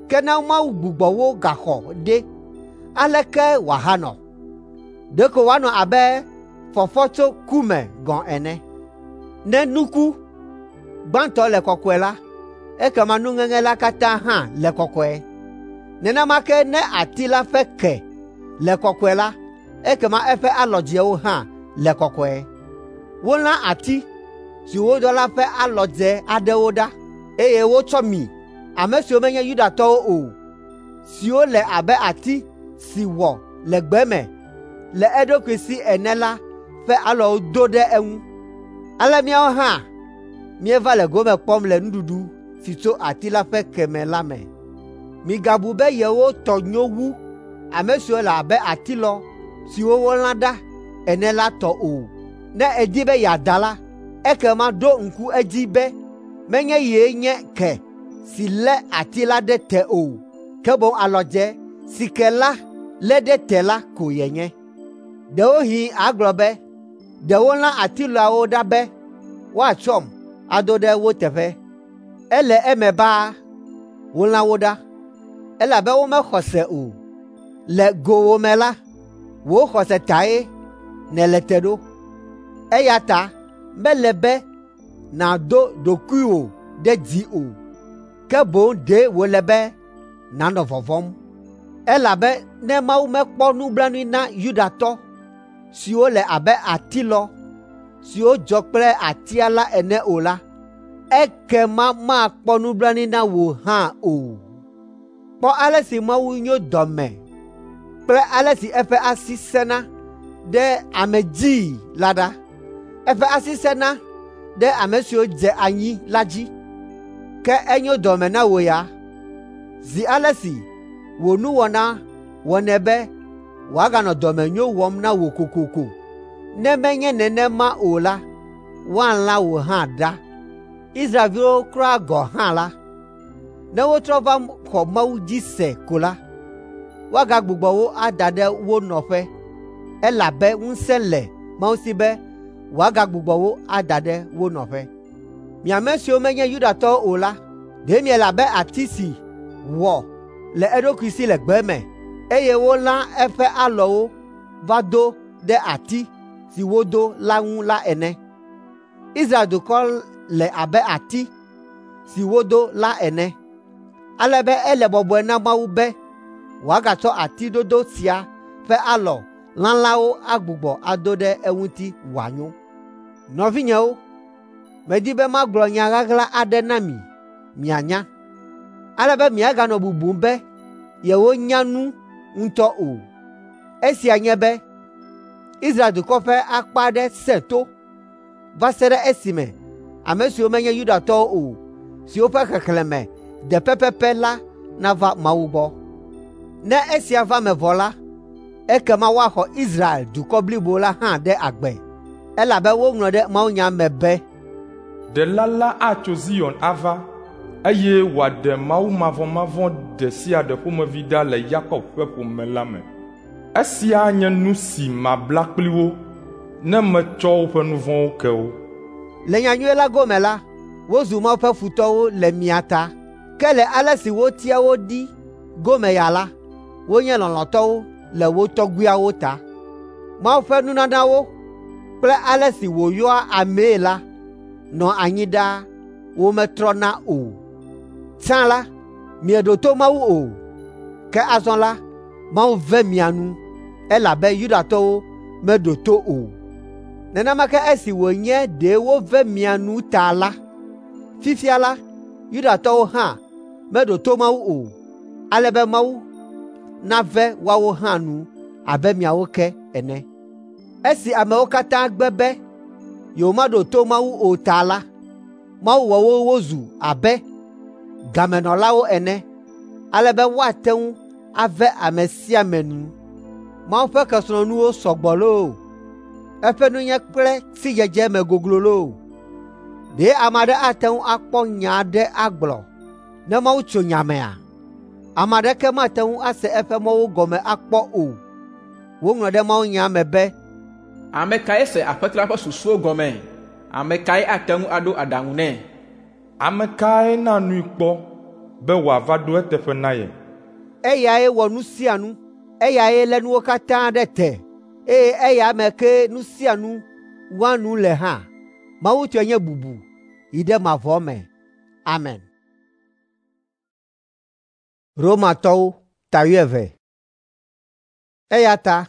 Ke ne Mawu gbugbɔ wo gaxɔ ɖe, aleke wòahanɔ? Ɖeko wòanɔ abe fɔfɔ tso ku me gɔ̃ ene. Ne nuku gbãtɔ le kɔkɔe la, ekema nuŋeŋe la katã hã le kɔkɔe. Nenema ke ne ati la ƒe ke le kɔkɔe la, ekema eƒe alɔdzewo hã le kɔkɔe. Wolã ati si wodɔ la ƒe alɔdze aɖewo ɖa, eye wotsɔ mi, ame siwo menye Yudatɔwo o, siwo le abe ati si wɔ le gbe me le eɖokui si ene la ƒe alɔwo do ɖe eŋu. Ale míawo hã míeva le gome kpɔm le nuɖuɖu si tso ati la ƒe ke me la me. Migabu be yewo tɔ nyo wu ame siwo le abe atilɔ siwo wolã ɖa ene la tɔ o. Ne èdi be yeada la, ekema ɖo ŋku edzi be menye yee nye ke si lé ati la ɖe te o, ke boŋ alɔdze si ke la lé ɖe te la ko yenye. Ɖewohĩ àgblɔ be, “Ɖe wolã atilɔawo ɖa be woatsɔm ado ɖe wo teƒe.” Ele eme baa, wolã wo ɖa, elabe womexɔ se o. Le gowòme la, wò xɔse tae nèle te ɖo. Eya ta mele be nàdo ɖokuiwò ɖe dzi o, ke boŋ ɖe wòle be nànɔ vɔvɔ̃m. Elabe ne Mawu mekpɔ nublanui na Yudatɔ siwo le abe atilɔ siwo dzɔ kple atia la ene o la, ekema makpɔ nublanui na wò hã o. Kpɔ ale si Mawu nyo dɔme kple ale si eƒe asi sẽna ɖe ame dzii la ɖa. Eƒe asi sẽna ɖe ame siwo dze anyi la dzi, ke enyo dɔme na wò ya, zi ale si wò nuwɔna wɔnɛ be wòaganɔ dɔmenyo wɔm na wò kokoko. Ne menye nenema o la, woalã wò hã ɖa. Israelviwo kura gɔ̃ hã la, ne wotrɔ va xɔ Mawu dzi se ko la, woagagbugbɔ wo ada ɖe wo nɔƒe, elabe ŋusẽ le Mawu si be wòagagbugbɔ wo ada ɖe wo nɔƒe. Mi ame siwo menye Yudatɔwo o la, ɖe miele abe ati si wɔ le eɖokui si le gbe me, eye wolã eƒe alɔwo va do ɖe ati si wodo la ŋu la ene. Israel dukɔ le abe ati si wodo la ene, ale be ele bɔbɔe na Mawu be wòagatsɔ ati dodo sia ƒe alɔ lalãwo agbugbɔ ado ɖe eŋuti wòanyo. Nɔvinyewo, medi be magblɔ nya ɣaɣla aɖe na mi mianya, ale be miaganɔ bubum be yewonya nu ŋutɔ o. Esia nye be Israel dukɔ ƒe akpa aɖe sẽ to va se ɖe esime ame siwo menye Yudatɔwo o, siwo ƒe xexlẽme de pɛpɛpɛ la nava Mawu gbɔ. Ne esia va eme vɔ la, ekema woaxɔ Israel dukɔ blibo la hã ɖe agbe, elabe woŋlɔ ɖe mawunya me be,
Ɖela la atso Zion ava, eye wòaɖe mawumavɔmavɔ̃ ɖe sia ɖe ƒomevi ɖa le Yakob ƒe ƒome la me. Esia nye nu si mabla kpli wo ne metsɔ woƒe nu vɔ̃wo ke wo.
Le nyanyui la gome la, wozu Mawu ƒe futɔwo le mia ta, ke le ale si wotia wo ɖi gome ya la, wonye lɔlɔ̃tɔwo le wo tɔgbuiawo ta. Mawu ƒe nunanawo kple ale si wòyɔa amee la nɔ anyi ɖaa, wometrɔna o. Tsã la, mieɖo to Mawu o, ke azɔ la, Mawu ve mia nu, elabe Yudatɔwo meɖo to o. Nenema ke esi wònye ɖe wove mia nu ta la, fifia la, Yudatɔwo hã meɖo to Mawu o, ale be Mawu nave woawo hã nu abe miawo ke ene. Esi amewo katã gbe be yewomaɖo to Mawu o ta la, Mawu wɔ wo wozu abe gamenɔlawo ene, ale be woate ŋu ave ame sia ame nu. Mawu ƒe kesinɔnuwo sɔ gbɔ loo, eƒe nunya kple sidzedze me goglo loo. Ɖe ame aɖe ate ŋu akpɔ nya aɖe agblɔ ne Mawu tso nya mea? Ame aɖeke mate ŋu ase eƒe mɔwo gɔme akpɔ o. Woŋlɔ ɖe mawunya me be,
Ame kae se Aƒetɔ la ƒe susuwo gɔme? Ame kae ate ŋu aɖo aɖaŋu nɛ?
Ame kae na nui kpɔ be wòava ɖo eteƒe na ye?
Eyae wɔ nu sia nu, eyae lé nuwo katã ɖe te, eye eya me kee nu sia nu wɔa nu le hã. Mawu tɔe nye bubu yi ɖe mavɔ me. Amen. Romatɔwo ta wuieve. Eya ta,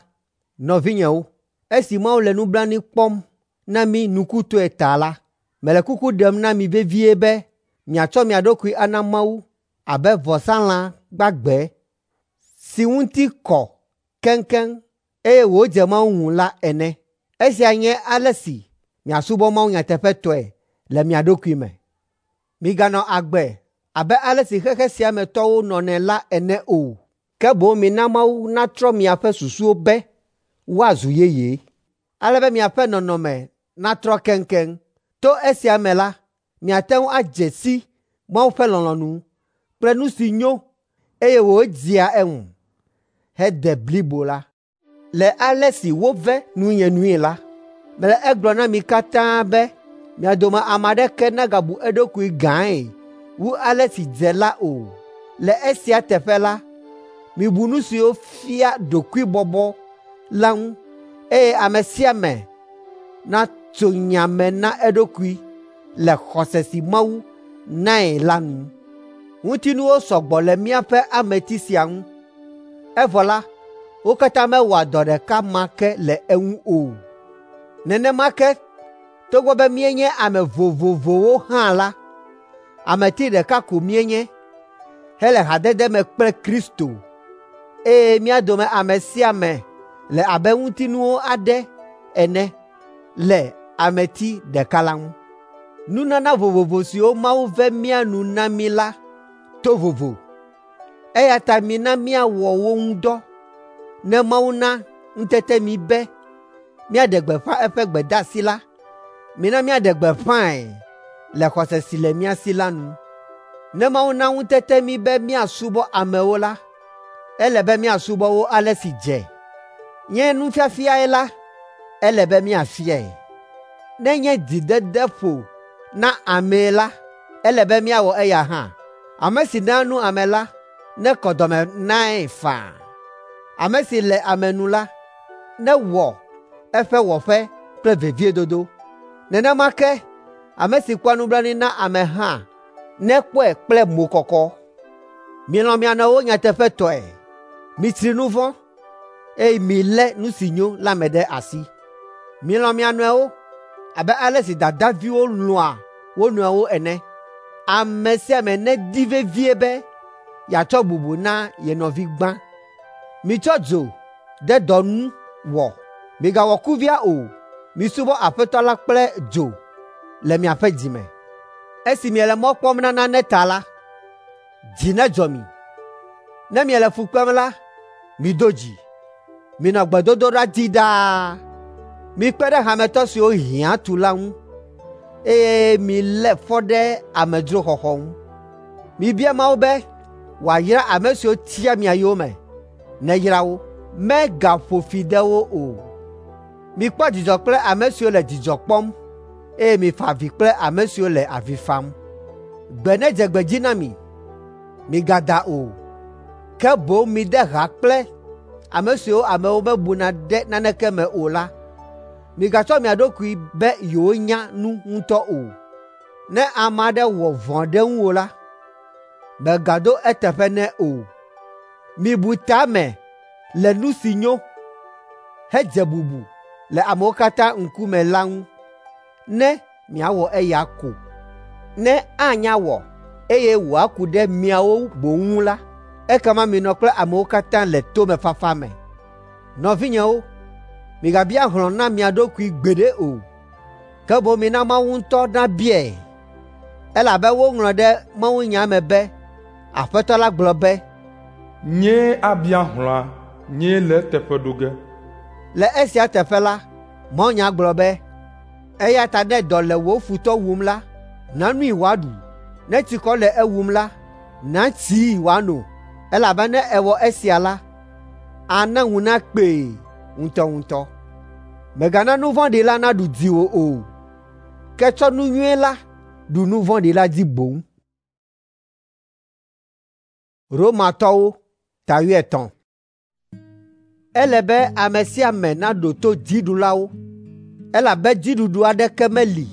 nɔvinyewo, esi Mawu le nublanui kpɔm na mí nukutɔe ta la, mele kuku ɖem na mi vevie be miatsɔ mia ɖokui ana Mawu abe vɔsalã gbagbe si ŋuti kɔ keŋkeŋ eye wòdze Mawu ŋu la ene. Esia nye ale si miasubɔ Mawu nyateƒetɔe le mia ɖokui me. Miganɔ agbe abe ale si xexe sia me tɔwo nɔnɛ la ene o, ke boŋ mina Mawu natrɔ miaƒe susuwo be woazu yeye, ale be miaƒe nɔnɔme natrɔ keŋkeŋ. To esia me la, miate ŋu adze si Mawu ƒe lɔlɔ̃nu kple nu si nyo eye wòdzea eŋu hede blibo la. Le ale si wove nunye nui la, mele egblɔm na mi katã be mia dome ame aɖeke nagabu eɖokui gãe wu ale si dze la o. Le esia teƒe la, mibu nu siwo fia ɖokuibɔbɔ la ŋu, eye ame sia ame natso nya me na eɖokui le xɔse si Mawu nae la nu. Ŋutinuwo sɔgbɔ le míaƒe ameti sia ŋu, evɔ la, wo katã mewɔa dɔ ɖeka ma ke le eŋu o. Nenema ke togbɔ be míenye ame vovovowo hã la, ameti ɖeka ko míenye hele hadede me kple Kristo, eye mía dome ame sia ame le abe ŋutinuwo aɖe ene le ameti ɖeka la ŋu. Nunana vovovo siwo Mawu ve mía nu na mí la to vovo, eya ta mina míawɔ wo ŋu dɔ ne Mawu na ŋutete mí be míaɖe gbeƒã eƒe gbedeasi la, mina míaɖe gbeƒãe le xɔse si le mía si la nu. Ne Mawu na ŋutete mí be míasubɔ amewo la, ele be míasubɔ wo ale si dze. Nye nufiafiae la, ele be míafiae. Ne nye dzidede ƒo na amee la, ele be míawɔ eya hã. Ame si naa nu ame la nekɔ dɔme nae faa. Ame si le ame nu la, newɔ eƒe wɔƒe kple veviedodo. Nenema ke ame si kpɔa nublanui na ame hã nekpɔe kple mokɔkɔ. Milɔ̃ mia nɔewo nyateƒetɔe. Mitsri nu vɔ̃, eye milé nu si nyo la me ɖe asi. Milɔ̃ mia nɔewo abe ale si dadaviwo lɔ̃a wo nɔewo ene. Ame sia ame nedi vevie be yeatsɔ bubu na ye nɔvi gbã. Mitsɔ dzo ɖe dɔ ŋu wɔ. Migawɔ kuvia o. Misubɔ Aƒetɔ la kple dzo le miaƒe dzi me. Esi miele mɔ kpɔm na nane ta la, dzi nedzɔ mi. Ne miele fu kpem la, mido dzi. Minɔ gbedodoɖa dzi ɖaa. Mikpe ɖe hametɔ siwo hiã tu la ŋu, eye milé fɔ ɖe amedzroxɔxɔ ŋu. Mibia Mawu be wòayra ame siwo tia mia yome, neyra wo, megaƒo fi de wo o. Mikpɔ dzidzɔ kple ame siwo le dzidzɔ kpɔm, eye mifa avi kple ame siwo le avi fam. Gbe nedze gbe dzi na mi, migada o, ke boŋ mide ha kple ame siwo amewo mebuna ɖe naneke me o la. Migatsɔ mia ɖokui be yewonya nu ŋutɔ o. Ne ame aɖe wɔ vɔ̃ ɖe ŋuwò la, mègaɖo eteƒe nɛ o. Mibu ta me le nu si nyo hedze bubu le amewo katã ŋkume la ŋu, ne miawɔ eya ko. Ne anya wɔ, eye wòaku ɖe miawo boŋ ŋu la, ekema minɔ kple amewo katã le tomefafa me. Nɔvinyewo, migabia hlɔ̃ na mia ɖokui gbeɖe o, ke boŋ mina Mawu ŋutɔ nabiae, elabe woŋlɔ ɖe mawunya me be, Aƒetɔ la gblɔ be,
Nyee abia hlɔ̃a, nyee le eteƒe ɖo ge.
Le esia teƒe la, mawunya gblɔ be, eya ta ne dɔ le wò futɔ wum la, na nui wòaɖu. Ne tsikɔ le ewum la, na tsii wòano, elabe ne èwɔ esia la, ana ŋu nakpee ŋutɔŋutɔ. Mègana nu vɔ̃ɖi la naɖu dziwò o, ke tsɔ nu nyui la ɖu nu vɔ̃ɖi la dzi boŋ. Romatɔwo ta wuietɔ̃. Ele be ame sia ame naɖo to dziɖulawo, elabe dziɖuɖu aɖeke meli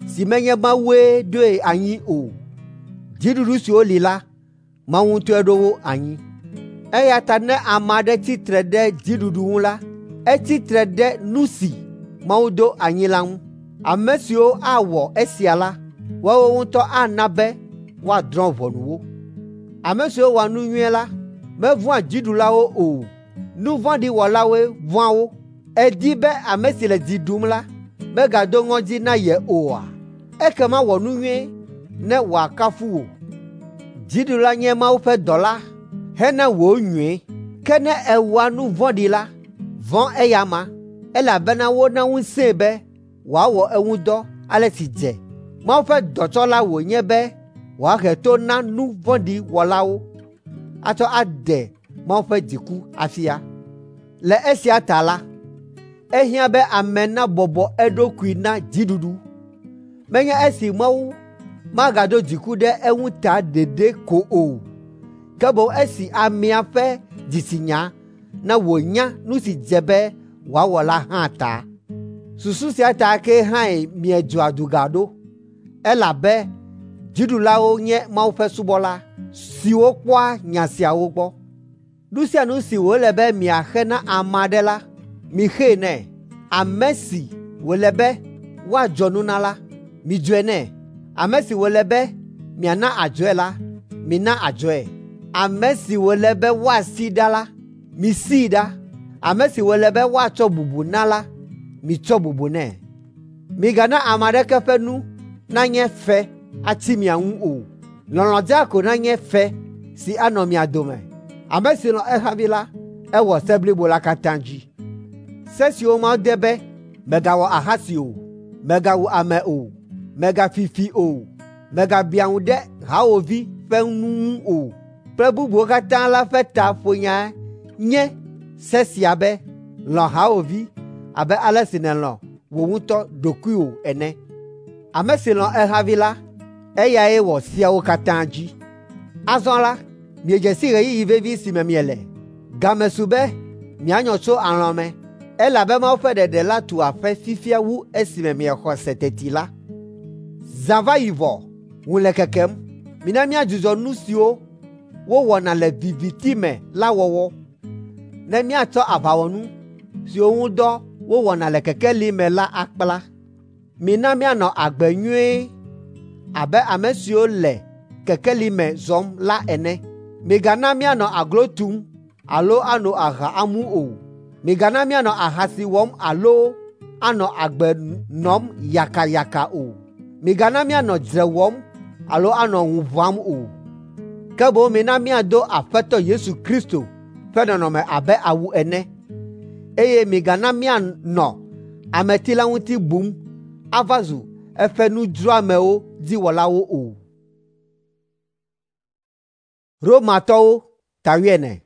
si menye Mawue ɖoe anyi o. Dziɖuɖu siwo li la, Mawu ŋutɔe ɖo wo anyi. Eya ta ne ame aɖe tsi tre ɖe dziɖuɖu ŋu la, etsi tre ɖe nu si Mawu ɖo anyi la ŋu. Ame siwo awɔ esia la, woawo ŋutɔ ana be woadrɔ̃ ʋɔnu wo. Ame siwo wɔa nu nyui la mevɔ̃a dziɖulawo o. Nu vɔ̃ɖi wɔlawoe vɔ̃a wo. Èdi be ame si le dzi ɖum la megado ŋɔdzi na ye oa? Ekema wɔ nu nyui ne wòakafu wò. Dziɖula nye Mawu ƒe dɔla hena wò nyui. Ke ne èwɔa nu vɔ̃ɖi la, vɔ̃ eya amea, elabena wona ŋusẽe be wòawɔ eŋu dɔ ale si dze. Mawu ƒe dɔtsɔla wònye be wòahe to na nu vɔ̃ɖi wɔlawo atsɔ aɖe Mawu ƒe dziku afia. Le esia ta la, ehiã be ame nabɔbɔ eɖokui na dziɖuɖu. Menye esi Mawu magado dziku ɖe eŋu ta ɖeɖe ko o, ke boŋ esi amea ƒe dzitsinya na wònya nu si dze be wòawɔ la hã ta. Susu sia ta ke hãe miedzɔa duga ɖo, elabe dziɖulawo nye Mawu ƒe subɔla siwo kpɔa nya siawo gbɔ. Nu sia nu si wòle be miaxe na ame aɖe la, mixee nɛ. Ame si wòle be woadzɔ nu na la, midzɔe nɛ. Ame si wòle be miana adzɔe la, mina adzɔe. Ame si wòle be woasi ɖa la, misii ɖa. Ame si wòle be woatsɔ bubu na la, mitsɔ bubu nɛ. Migana ame aɖeke ƒe nu nanye fe atsi mia ŋu o. Lɔlɔ̃ dzaa ko nanye fe si anɔ mia dome. Ame si lɔ̃ ehavi la, ewɔ se blibo la katã dzi. Se siwo Mawu de be, mègawɔ ahasi o, mègawu ame o, mègafi fi o, mègabiã ŋu ɖe hawòvi ƒe nu ŋu o, kple bubuwo katã la ƒe ta ƒonya nye se sia be, lɔ̃ hawòvi abe ale si nèlɔ̃ wò ŋutɔ ɖokuiwò ene. Ame si lɔ̃ ehavi la, eyae wɔ seawo katã dzi. Azɔ la, miedze si ɣeyiɣi vevi si me miele. Game su be mianyɔ tso alɔ̃ me, Elabe Mawu ƒe ɖeɖe la tu aƒe fifia wu esime miexɔ se teti la. Zã va yi vɔ, ŋu le kekem. Mina míadzudzɔ nu siwo wowɔna le viviti me la wɔwɔ, ne míatsɔ aʋawɔnu siwo ŋu dɔ wowɔna le kekeli me la akpla. Mina míanɔ agbe nyuie abe ame siwo le kekeli me zɔm la ene. Migana míanɔ aglo tum alo ano aha amu o. Migana míanɔ ahasi wɔm alo anɔ agbe nɔm yakayaka o. Migana míanɔ dzre wɔm alo anɔ ŋu ʋãm o. Ke boŋ mina míado Aƒetɔ Yesu Kristo ƒe nɔnɔme abe awu ene, eye migana míanɔ ameti la ŋuti bum ava zu eƒe nudzroamewo dziwɔlawo o. Romatɔwo ta wuiene.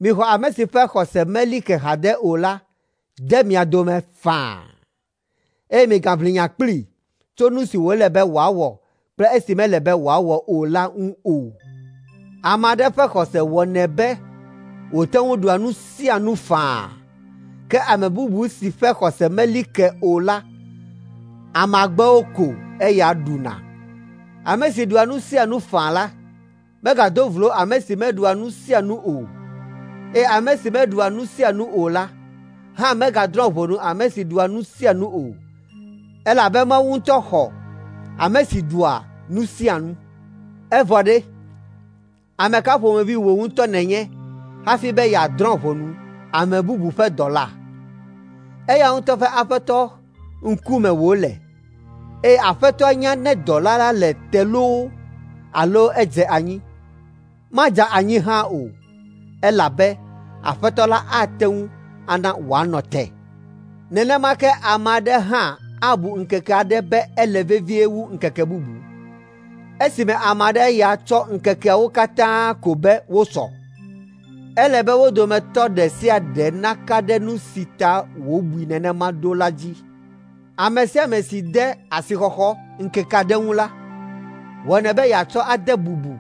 Mixɔ ame si ƒe xɔse meli ke haɖe o la de mia dome faa, eye migaʋli nya kplii tso nu si wòle be wòawɔ kple esi mele be wòawɔ o la ŋu o. Ame aɖe ƒe xɔse wɔnɛ be wòte ŋu ɖua nu sia nu faa, ke ame bubu si ƒe xɔse meli ke o la, amagbewo ko eya ɖuna. Ame si ɖua nu sia nu faa la, megado vlo ame si meɖua nu sia nu o, eye ame si meɖua nu sia nu o la hã megadrɔ̃ ʋɔnu ame si ɖua nu sia nu o, elabe Mawu ŋutɔ xɔ ame si ɖua nu sia nu. Evɔ ɖe, ame ka ƒomevi wò ŋutɔ nènye hafi be yeadrɔ̃ ʋɔnu ame bubu ƒe dɔla? Eya ŋutɔ ƒe Aƒetɔ ŋkume wòle, eye Aƒetɔa nya ne dɔla la le te loo alo edze anyi. Madze anyi hã o, elabe Aƒetɔ la ate ŋu ana wòanɔ te. Nenema ke ame aɖe hã abu ŋkeke aɖe be ele vevie wu ŋkeke bubu, esime ame aɖe ya tsɔ ŋkekeawo katã ko be wosɔ. Ele be wo dometɔ ɖe sia ɖe naka ɖe nu si ta wòbui nenema ɖo la dzi. Ame sia ame si de asixɔxɔ ŋkeke aɖe ŋu la, wɔnɛ be yeatsɔ ade bubu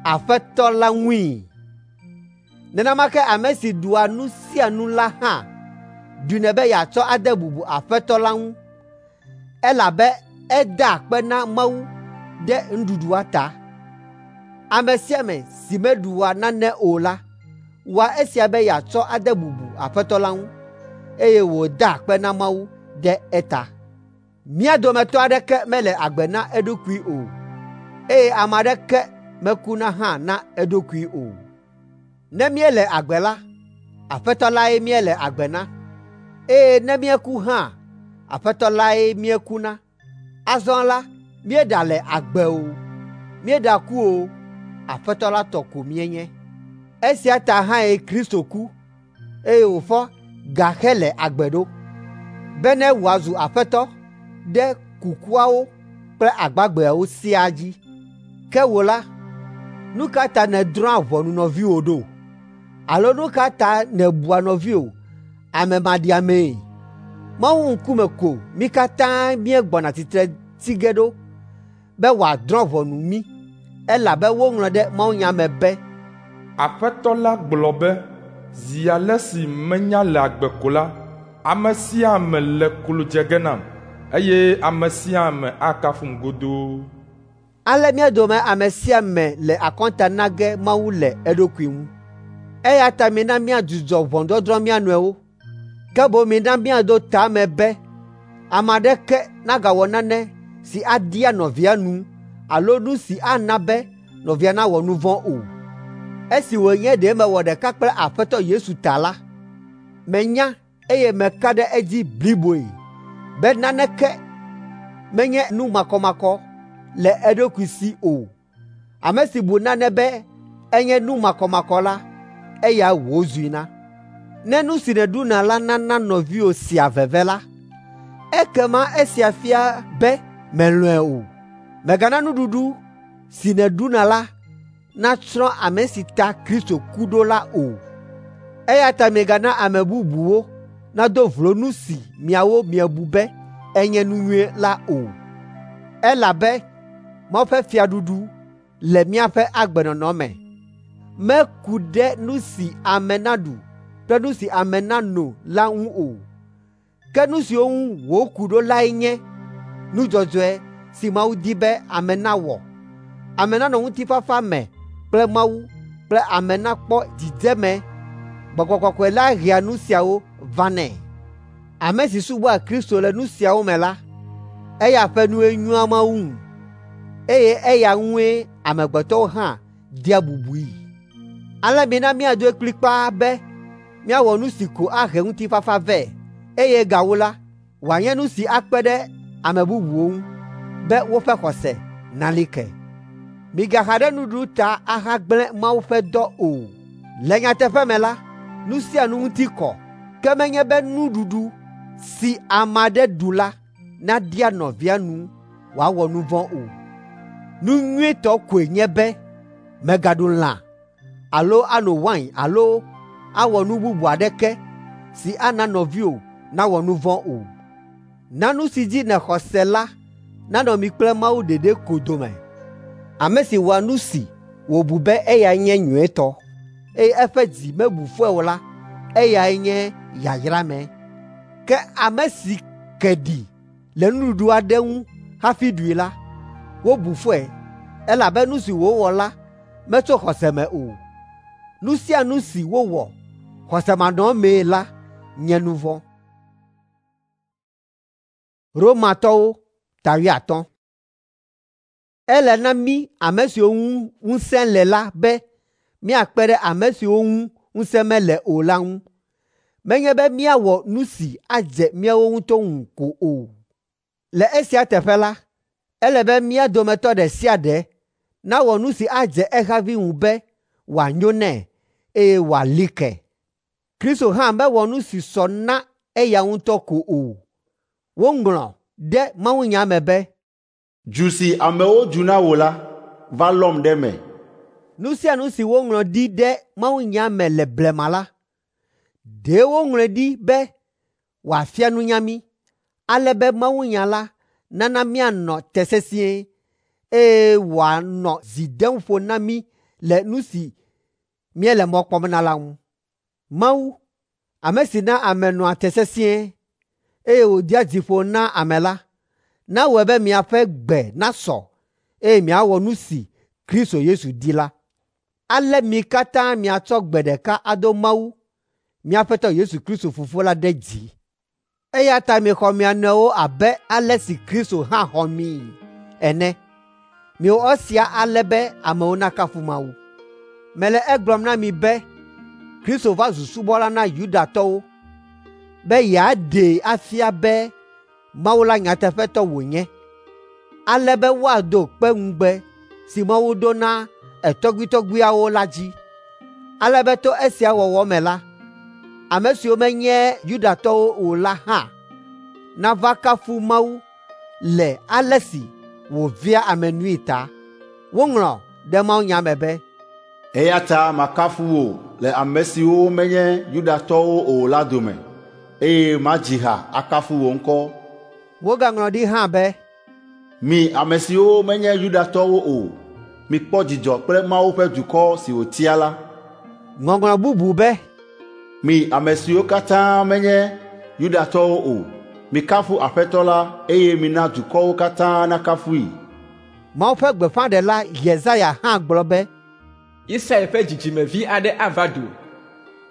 Aƒetɔ la ŋui. Nenema ke ame si ɖua nu sia nu la hã ɖunɛ be yeatsɔ ade bubu Aƒetɔ la ŋu, elabe edaa akpe na Mawu ɖe nuɖuɖua ta. Ame sia ame si meɖua nane o la, wɔa esia be yeatsɔ ade bubu Aƒetɔ la ŋu, eye wòdaa akpe na Mawu ɖe eta. Mía dometɔ aɖeke mele agbe na eɖokui o, eye ame aɖeke mekuna hã na eɖokui o. Ne míele agbe la, Aƒetɔ lae míele agbe na, eye ne míeku hã, Aƒetɔ lae míekuna. Azɔ la, míeɖale agbe o, míeɖaku o, Aƒetɔ la tɔ ko míenye. Esia ta hãe Kristo ku, eye wòfɔ gahele agbe ɖo, bene wòazu Aƒetɔ ɖe kukuawo kple agbagbeawo siaa dzi. Ke wò la, nu ka ta nèdrɔ̃a ʋɔnu nɔviwò ɖo? Alo nu ka ta nèbua nɔviwò ame maɖiamee? Mawu ŋkume ko mí katã míegbɔna tsitre tsi ge ɖo be wòadrɔ̃ ʋɔnu mí, elabe woŋlɔ ɖe mawunya me be,
Aƒetɔ la gblɔ be, zi ale si menya le agbe ko la, ame sia ame le klo dze ge nam, eye ame sia ame akafum godoo.
Ale mía dome ame sia ame le akɔnta na ge Mawu le eɖokui ŋu. Eya ta mina míadzudzɔ ʋɔnudɔdrɔ̃ mía nɔewo, ke boŋ mina míaɖo ta me be ame aɖeke nagawɔ nane si aɖia nɔvia nu alo nu si ana be nɔvia nawɔ nu vɔ̃ o. Esi wònye ɖe mewɔ ɖeka kple Aƒetɔ Yesu ta la, menya eye meka ɖe edzi bliboe be naneke menye nu makɔmakɔ le eɖokui si o. Ame si bu nane be enye nu makɔmakɔ la, eya wòzui na. Ne nu si nèɖuna la nana nɔviwò sea veve la, ekema esia fia be mèlɔ̃e o. Mègana nuɖuɖu si nèɖuna la natsrɔ̃ ame si ta Kristo ku ɖo la o. Eya ta migana ame bubuwo nado vlo nu si miawo miebu be enye nu nyui la o. Elabe Mawu ƒe fiaɖuɖu le míaƒe agbenɔnɔ me, meku ɖe nu si ame naɖu kple nu si ame nano la ŋu o. Ke nu siwo ŋu wòku ɖo lae nye nu dzɔdzɔe si Mawu di be ame nawɔ, ame nanɔ ŋutifafa me kple Mawu kple ame nakpɔ dzidzeme. Gbɔgbɔ Kɔkɔe la hea nu siawo vanɛ. Ame si subɔa Kristo le nu siawo me la, eya ƒe nue nyoa Mawu ŋu, eye eya ŋue amegbetɔwo hã dea bubui. Ale mina míaɖoe kplikpaa be míawɔ nu si ko ahe ŋutifafa vɛ, eye gawu la, wòanye nu si akpe ɖe ame bubuwo ŋu be woƒe xɔse nali ke. Migaxa ɖe nuɖuɖu ta ahagblẽ Mawu ƒe dɔ o. Le nyateƒe me la, nu sia nu ŋuti kɔ, ke menye be nuɖuɖu si ame aɖe ɖu la naɖia nɔvia nu wòawɔ nu vɔ̃ o. Nu nyuitɔ koe nye be mègaɖu lã alo ano wain alo awɔ nu bubu aɖeke si ana nɔviwò nawɔ nu vɔ̃ o. Na nu si dzi nèxɔ se la nanɔ mi kple Mawu ɖeɖe ko dome. Ame si wɔa nu si wòbu be eyae nye nyuitɔ, eye eƒe dzi mebu fɔe o la, eyae nye yayrame. Ke ame si ke ɖi le nuɖuɖu aɖe ŋu hafi ɖui la, wobu fɔe elabe nu si wòwɔ la metso xɔse me o. Nu sia nu si wowɔ xɔsemanɔmee la nye nu vɔ̃. Romatɔwo ta wuiatɔ̃. Ele na mí ame siwo ŋu ŋusẽ le la be míakpe ɖe ame siwo ŋu ŋusẽ mele o la ŋu. Menye be míawɔ nu si adze míawo ŋutɔ ŋu ko o. Le esia teƒe la, ele be mía dometɔ ɖe sia ɖe nawɔ nu si adze ehavi ŋu be wòanyo nɛ eye wòali ke. Kristo hã mewɔ nu si sɔ na eya ŋutɔ ko o. Woŋlɔ ɖe mawunya me be,
Du si amewo du na wò la va lɔm ɖe eme.
Nu sia nu si woŋlɔ ɖi ɖe mawunya me le blema la, ɖe woŋlɔe ɖi be wòafia nunya mí, ale be mawunya la nana míanɔ te sesĩe, eye wòanɔ dzi dem ƒo na mí le nu si míele mɔ kpɔm na la ŋu. Mawu, ame si na ame nɔa te sesĩe, eye wòdea dzi ƒo na ame la, nawɔe be miaƒe gbe nasɔ, eye miawɔ nu si Kristo Yesu di la. Ale mi katã miatsɔ gbe ɖeka ado Mawu, mía Aƒetɔ Yesu Kristo Fofo la ɖe dzi. Eya ta mixɔ mia nɔewo abe ale si Kristo hã xɔ mii ene. Miwɔ esia ale be amewo nakafu Mawu. Mele egblɔm na mi be Kristo va zu subɔla na Yudatɔwo be yeaɖee afia be Mawu la nyateƒetɔ wònye, ale be woado kpe ŋugbe si Mawu do na etɔgbuitɔgbuiawo la dzi, ale be to esia wɔwɔ me la, ame siwo menye Yudatɔwo o la hã nava kafu Mawu le ale si wòvea ame nui ta. Woŋlɔ ɖe mawunya me be,
Eya ta makafu wò le ame siwo menye Yudatɔwo o la dome, eye madzi ha akafu wò ŋkɔ.
Wogaŋlɔ ɖi hã be,
Mi ame siwo menye Yudatɔwo o, mikpɔ dzidzɔ kple Mawu ƒe dukɔ si wòtia la.
Ŋɔŋlɔ bubu be,
Mi ame siwo katã menye Yudatɔwo o, mikafu Aƒetɔ la eye mina dukɔwo katã nakafui.
Mawu ƒe gbeƒãɖela Yesaya hã gblɔ be,
Isai ƒe dzidzimevi aɖe ava do.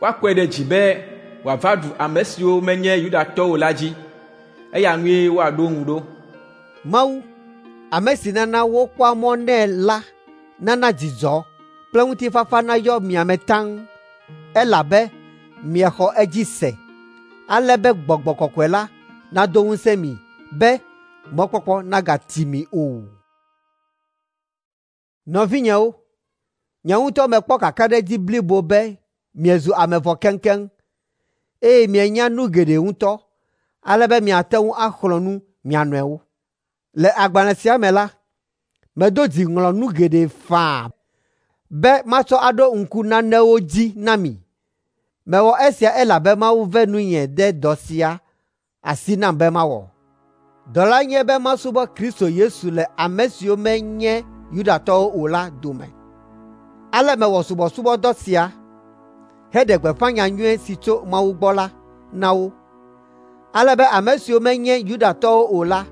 Woakɔe ɖe dzi be wòava ɖu ame siwo menye Yudatɔwo o la dzi. Eya ŋue woaɖo ŋu ɖo.
Mawu, ame si nana wokpɔa mɔ nɛ la nana dzidzɔ kple ŋutifafa nayɔ mia me taŋ, elabe miexɔ edzi se, ale be Gbɔgbɔ Kɔkɔe la nado ŋusẽ mi be mɔkpɔkpɔ nagati mi o. Nɔvinyewo, nye ŋutɔ mekpɔ kakaɖedzi blibo be miezu ame vɔ keŋkeŋ, eye mienya nu geɖe ŋutɔ, ale be miate ŋu axlɔ̃ nu mia nɔewo. Le agbalẽ sia me la, medo dzi ŋlɔ nu geɖe faa be matsɔ aɖo ŋku nanewo dzi na mi. Mewɔ esia elabe Mawu ve nunye de dɔ sia asi nam be mawɔ. Dɔ la nye be masubɔ Kristo Yesu le ame siwo menye Yudatɔwo o la dome. Ale mewɔ subɔsubɔdɔ sia heɖe gbeƒã nyanyui si tso Mawu gbɔ la na wo, ale be ame siwo menye Yudatɔwo o la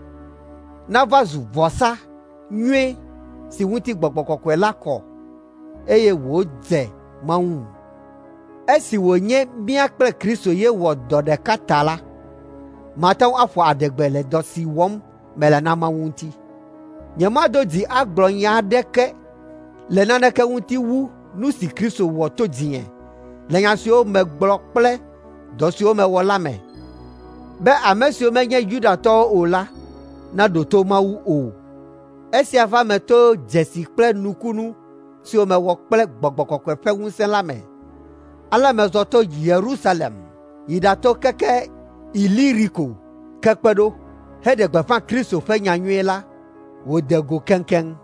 nava zu vɔsa nyui si ŋuti Gbɔgbɔ Kɔkɔe la kɔ, eye wòdze Mawu ŋu. Esi wònye mía kple Kristo ye wɔ dɔ ɖeka ta la, mate ŋu aƒo adegbe le dɔ si wɔm mele na Mawu ŋuti. Nyemado dzi agblɔ nya aɖeke le naneke ŋuti wu nu si Kristo wɔ to dzinye le nya siwo megblɔ kple dɔ siwo mewɔ la me, be ame siwo menye Yudatɔwo o la naɖo to Mawu o. Esia va eme to dzesi kple nukunu siwo mewɔ kple Gbɔgbɔ Kɔkɔe ƒe ŋusẽ la me. Ale mezɔ to Yerusalem yi ɖato keke Iliriko ke kpe ɖo heɖe gbeƒã Kristo ƒe nyanyui la wòde go keŋkeŋ.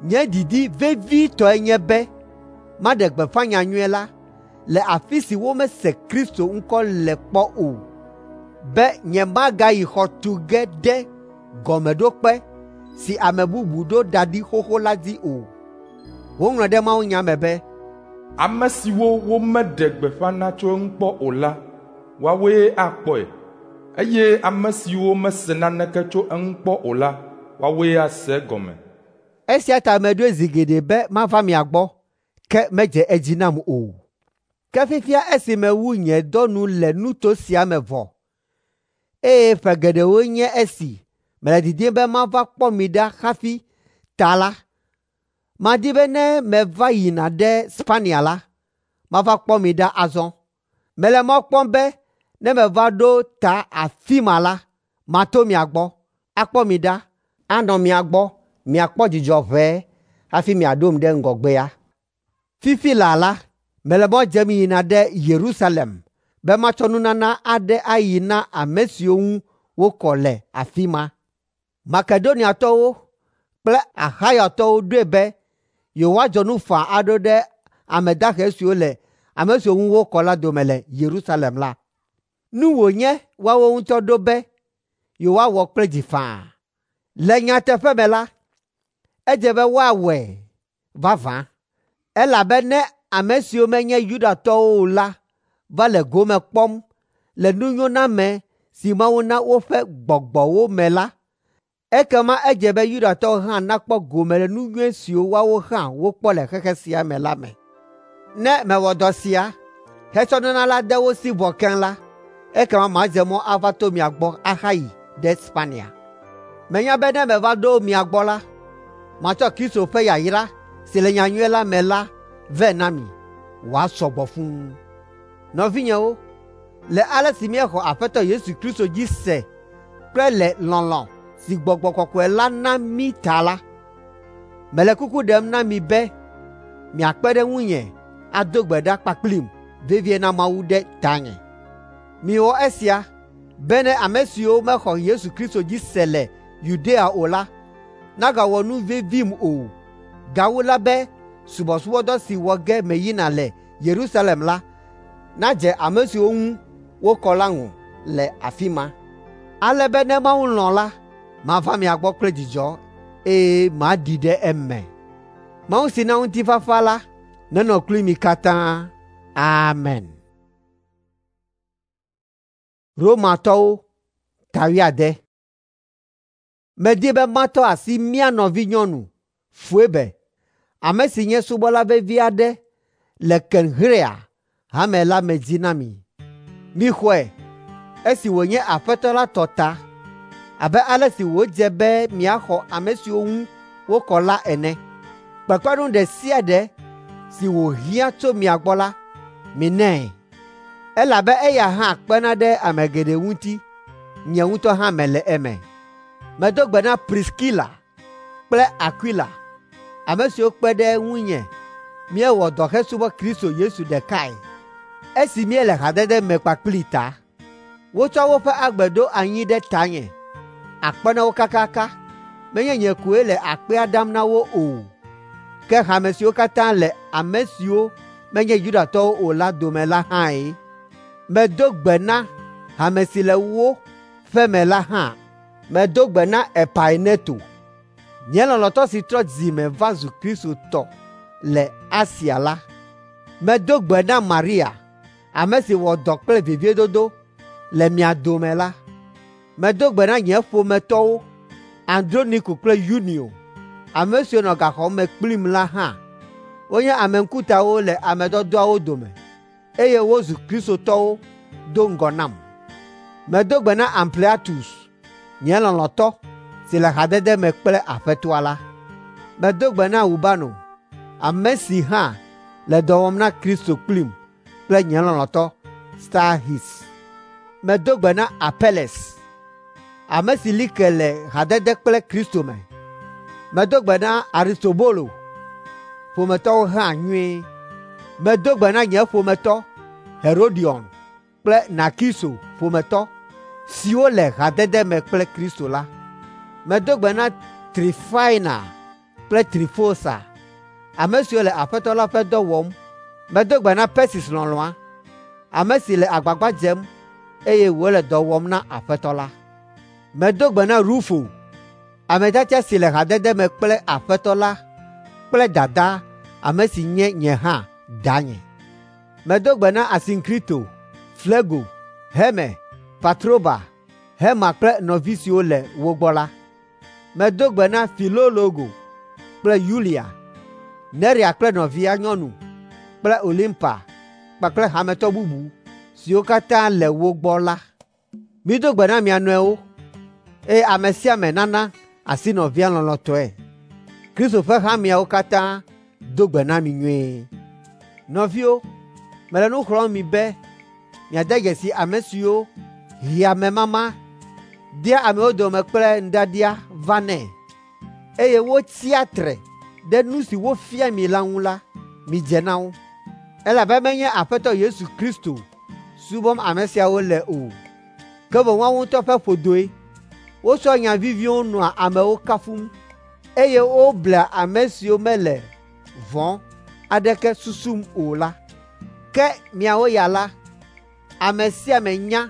Nye didi vevitɔe nye be maɖe gbeƒã nyanyui la le afi si womese Kristo ŋkɔ le kpɔ o, be nyemagayi xɔ tu ge ɖe gɔmeɖokpe si ame bubu ɖo da ɖi xoxo la dzi o. Woŋlɔ ɖe mawunya me be,
Ame siwo womeɖe gbeƒã na tso eŋu kpɔ o la, woawoe akpɔe, eye ame siwo mese naneke tso eŋu kpɔ o la, woawoe ase egɔme.
Esia ta meɖoe zi geɖe be mava mia gbɔ, ke medze edzi nam o. Ke fifia esi mewu nye dɔ nu le nuto sia me vɔ, eye ƒe geɖewoe nye esi mele didim be mava kpɔ mi ɖa hafi ta la, madi be ne meva yina ɖe Spania la, mava kpɔ mi ɖa azɔ. Mele mɔ kpɔm be ne meva ɖo ta afi ma la, mato mia gbɔ, akpɔ mi ɖa, anɔ mia gbɔ miakpɔ dzidzɔ ʋɛe hafi miaɖom ɖe ŋgɔgbea. Fifi laa la, mele mɔ dzem yina ɖe Yerusalem be matsɔ nunana aɖe ayi na ame siwo ŋu wokɔ le afi ma. Makedoniatɔwo kple Axayatɔwo ɖoe be yewoadzɔ nu faa aɖo ɖe ame dahe siwo le ame siwo ŋu wokɔ la dome le Yerusalem la. Nu wònye woawo ŋutɔ ɖo be yewoawɔ kple dzi faa. Le nyateƒe me la, edze be woawɔe vavã, elabe ne ame siwo menye Yudatɔwo o la va le gome kpɔm le nunyoname si Mawu na woƒe gbɔgbɔwo me la, ekema edze be Yudatɔwo hã nakpɔ gome le nu nyui siwo woawo hã wokpɔ le xexe sia me la me. Ne mewɔ dɔ sia hetsɔ nunana la de wo si vɔ keŋ la, ekema madze mɔ ava to mia gbɔ ahayi ɖe Spania. Menya be ne meva ɖo mia gbɔ la, matsɔ Kristo ƒe yayra si le nyanyui la me la vɛ na mi wòasɔ gbɔ fũu. Nɔvinyewo, le ale si míexɔ Aƒetɔ Yesu Kristo dzi se kple le lɔlɔ̃ si Gbɔgbɔ Kɔkɔe la na mí ta la, mele kuku ɖem na mi be miakpe ɖe ŋunye ado gbe ɖa kpakplim vevie na Mawu ɖe tanye. Miwɔ esia bene ame siwo mexɔ Yesu Kristo dzi se le Yudea o la nagawɔ nu vevim o. Gawu la be subɔsubɔdɔ si wɔ ge meyina le Yerusalem la nadze ame siwo ŋu wokɔ la ŋu le afi ma, ale be ne Mawu lɔ̃ la, mava mia gbɔ kple dzidzɔ eye maɖi ɖe eme. Mawu si na ŋutifafa la nenɔ kpli mi katã. Amen. Romatɔwo ta wuiade. Medi be matɔ asi mía nɔvinyɔnu Foebe, ame si nye subɔla vevi aɖe le Kenxrea hame la me dzi na mi. Mixɔe esi wònye Aƒetɔ la tɔ ta, abe ale si wòdze be miaxɔ ame siwo ŋu wokɔ la ene. Kpekpeɖeŋu ɖe sia ɖe si wòhiã tso mia gbɔ la, minɛ, elabe eya hã kpena ɖe ame geɖe ŋuti, nye ŋutɔ hã mele eme. Medo gbe na Priskila kple Akwila, ame siwo kpe ɖe ŋunye míewɔ dɔ hesubɔ Kristo Yesu ɖekae, esi míele hadede me kpakplii ta. Wotsɔ woƒe agbe ɖo anyi ɖe tanye, akpe na wo kakaka. Menye nye koe le akpea dam na wo o, ke hame siwo katã le ame siwo menye Yudatɔwo o la dome la hãe. Medo gbe na hame si le wo ƒe me la hã. Medo gbe na Epaineto, nye lɔlɔ̃tɔ si trɔ dzi me va zu Kristotɔ le Asia la. Medo gbe na Maria, ame si wɔ dɔ kple veviedodo le mia dome la. Medo gbe na nye ƒometɔwo, Androniko kple Yunio, ame siwo nɔ gaxɔ me kplim la hã. Wonye ame ŋkutawo le ame dɔdɔawo dome, eye wozu kristotɔwo do ŋgɔ nam. Medo gbe na Ampliatus, nye lɔlɔ̃tɔ si le hadede me kple Aƒetɔa la. Medo gbe na Urbano, ame si hã le dɔ wɔm na Kristo kplim kple nye lɔlɔ̃tɔ Stahis. Medo gbe na Apeles, ame si li ke le hadede kple Kristo me. Medo gbe na Aristobolo ƒometɔwo hã nyuie. Medo gbe na nye ƒometɔ Herodion kple Narkiso ƒometɔ siwo le hadede me kple Kristo la. Medo gbe na Trifaina kple Trifosa, ame siwo le Aƒetɔ la ƒe dɔ wɔm. Medo gbe na Persis lɔlɔ̃a, ame si le agbagba dzem eye wòle dɔ wɔm na Aƒetɔ la. Medo gbe na Rufo, ame tiatia si le hadede me kple Aƒetɔ la kple dadaa, ame si nye nye hã danye. Medo gbe na Asinkrito, Flego, Herme, Patroba, Herma kple nɔvi siwo le wo gbɔ la. Medo gbe na Filologo kple Yulia, Nerea kple nɔvia nyɔnu kple Olimpa kpakple hametɔ bubu siwo katã le wo gbɔ la. Mido gbe na mia nɔewo, eye ame sia ame nana asi nɔvia lɔlɔ̃tɔe. Kristo ƒe hameawo katã do gbe na mi nyuie. Nɔviwo, mele nu xlɔ̃m mi be miade dzesi ame siwo hea amemama dea amewo dome kple nuɖiaɖia vanɛ, eye wotsia tre ɖe nu si wofia mi la ŋu la, midze na wo. Elabe menye Aƒetɔ Yesu Kristo subɔm ame siawo le o, ke boŋ woawo ŋutɔ ƒe ƒodoe. Wotsɔa nya viviwo nɔa amewo kafum, eye woblea ame siwo mele vɔ̃ aɖeke susum o la. Ke miawo ya la, ame sia ame nya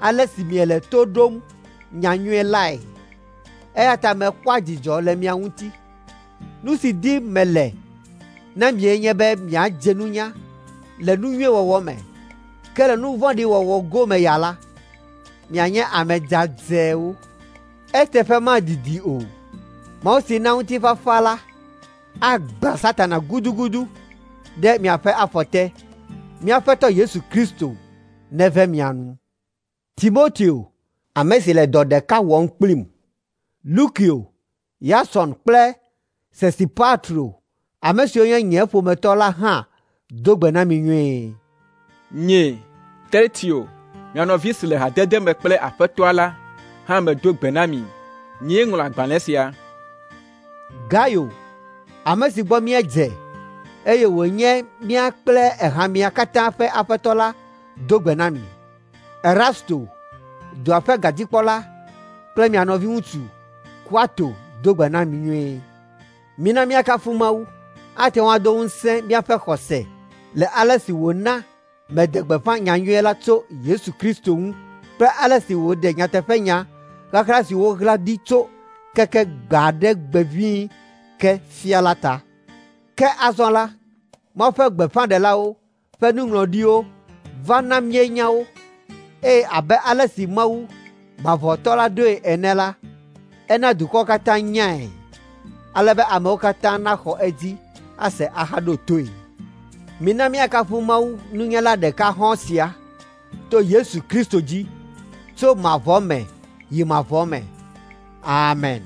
ale si miele to ɖom nyanyui lae, eya ta mekpɔa dzidzɔ le mia ŋuti. Nu si dim mele na mie nye be miadze nunya le nu nyui wɔwɔ me, ke le nu vɔ̃ɖi wɔwɔ gome ya la, mianye ame dzadzɛwo. Eteƒe madidi o, Mawu si na ŋutifafa la agbã Satana gudugudu ɖe miaƒe afɔ te. Mía Aƒetɔ Yesu Kristo neve mia nu. Timoteo, ame si le dɔ ɖeka wɔm kplim, Lukio, Yason kple Sosipatro, ame siwo nye nye ƒometɔ la hã do gbe na mi nyuie.
Nye, Tertio, mia nɔvi si le hadede me kple Aƒetɔa la hã medo gbe na mi. Nyee ŋlɔ agbalẽ sia.
Gayo, ame si gbɔ míedze, eye wònye mía kple ehamea katã ƒe aƒetɔ la do gbe na mi. Erasto, dua ƒe gadzikpɔla kple mia nɔviŋutsu Kuato do gbe na mi nyuie. Mina míakafu Mawu, ate ŋu ado ŋusẽ míaƒe xɔse le ale si wòna meɖe gbeƒã nyanyui la tso Yesu Kristo ŋu kple ale si wòɖe nyateƒenya ɣaɣla si woɣla ɖi tso keke gbe aɖe gbe ʋĩi ke fia la ta. Ke azɔ la, Mawu ƒe gbeƒãɖelawo ƒe nuŋlɔɖiwo va na míenya wo, eye abe ale si Mawu Mavɔtɔ la ɖoe ene la, ena dukɔwo katã nyae, ale be amewo katã naxɔ edzi ase ahaɖo toe. Mina míakafu Mawu nunyala ɖeka hɔ̃ sia to Yesu Kristo dzi tso mavɔ me yi mavɔ me. Amen.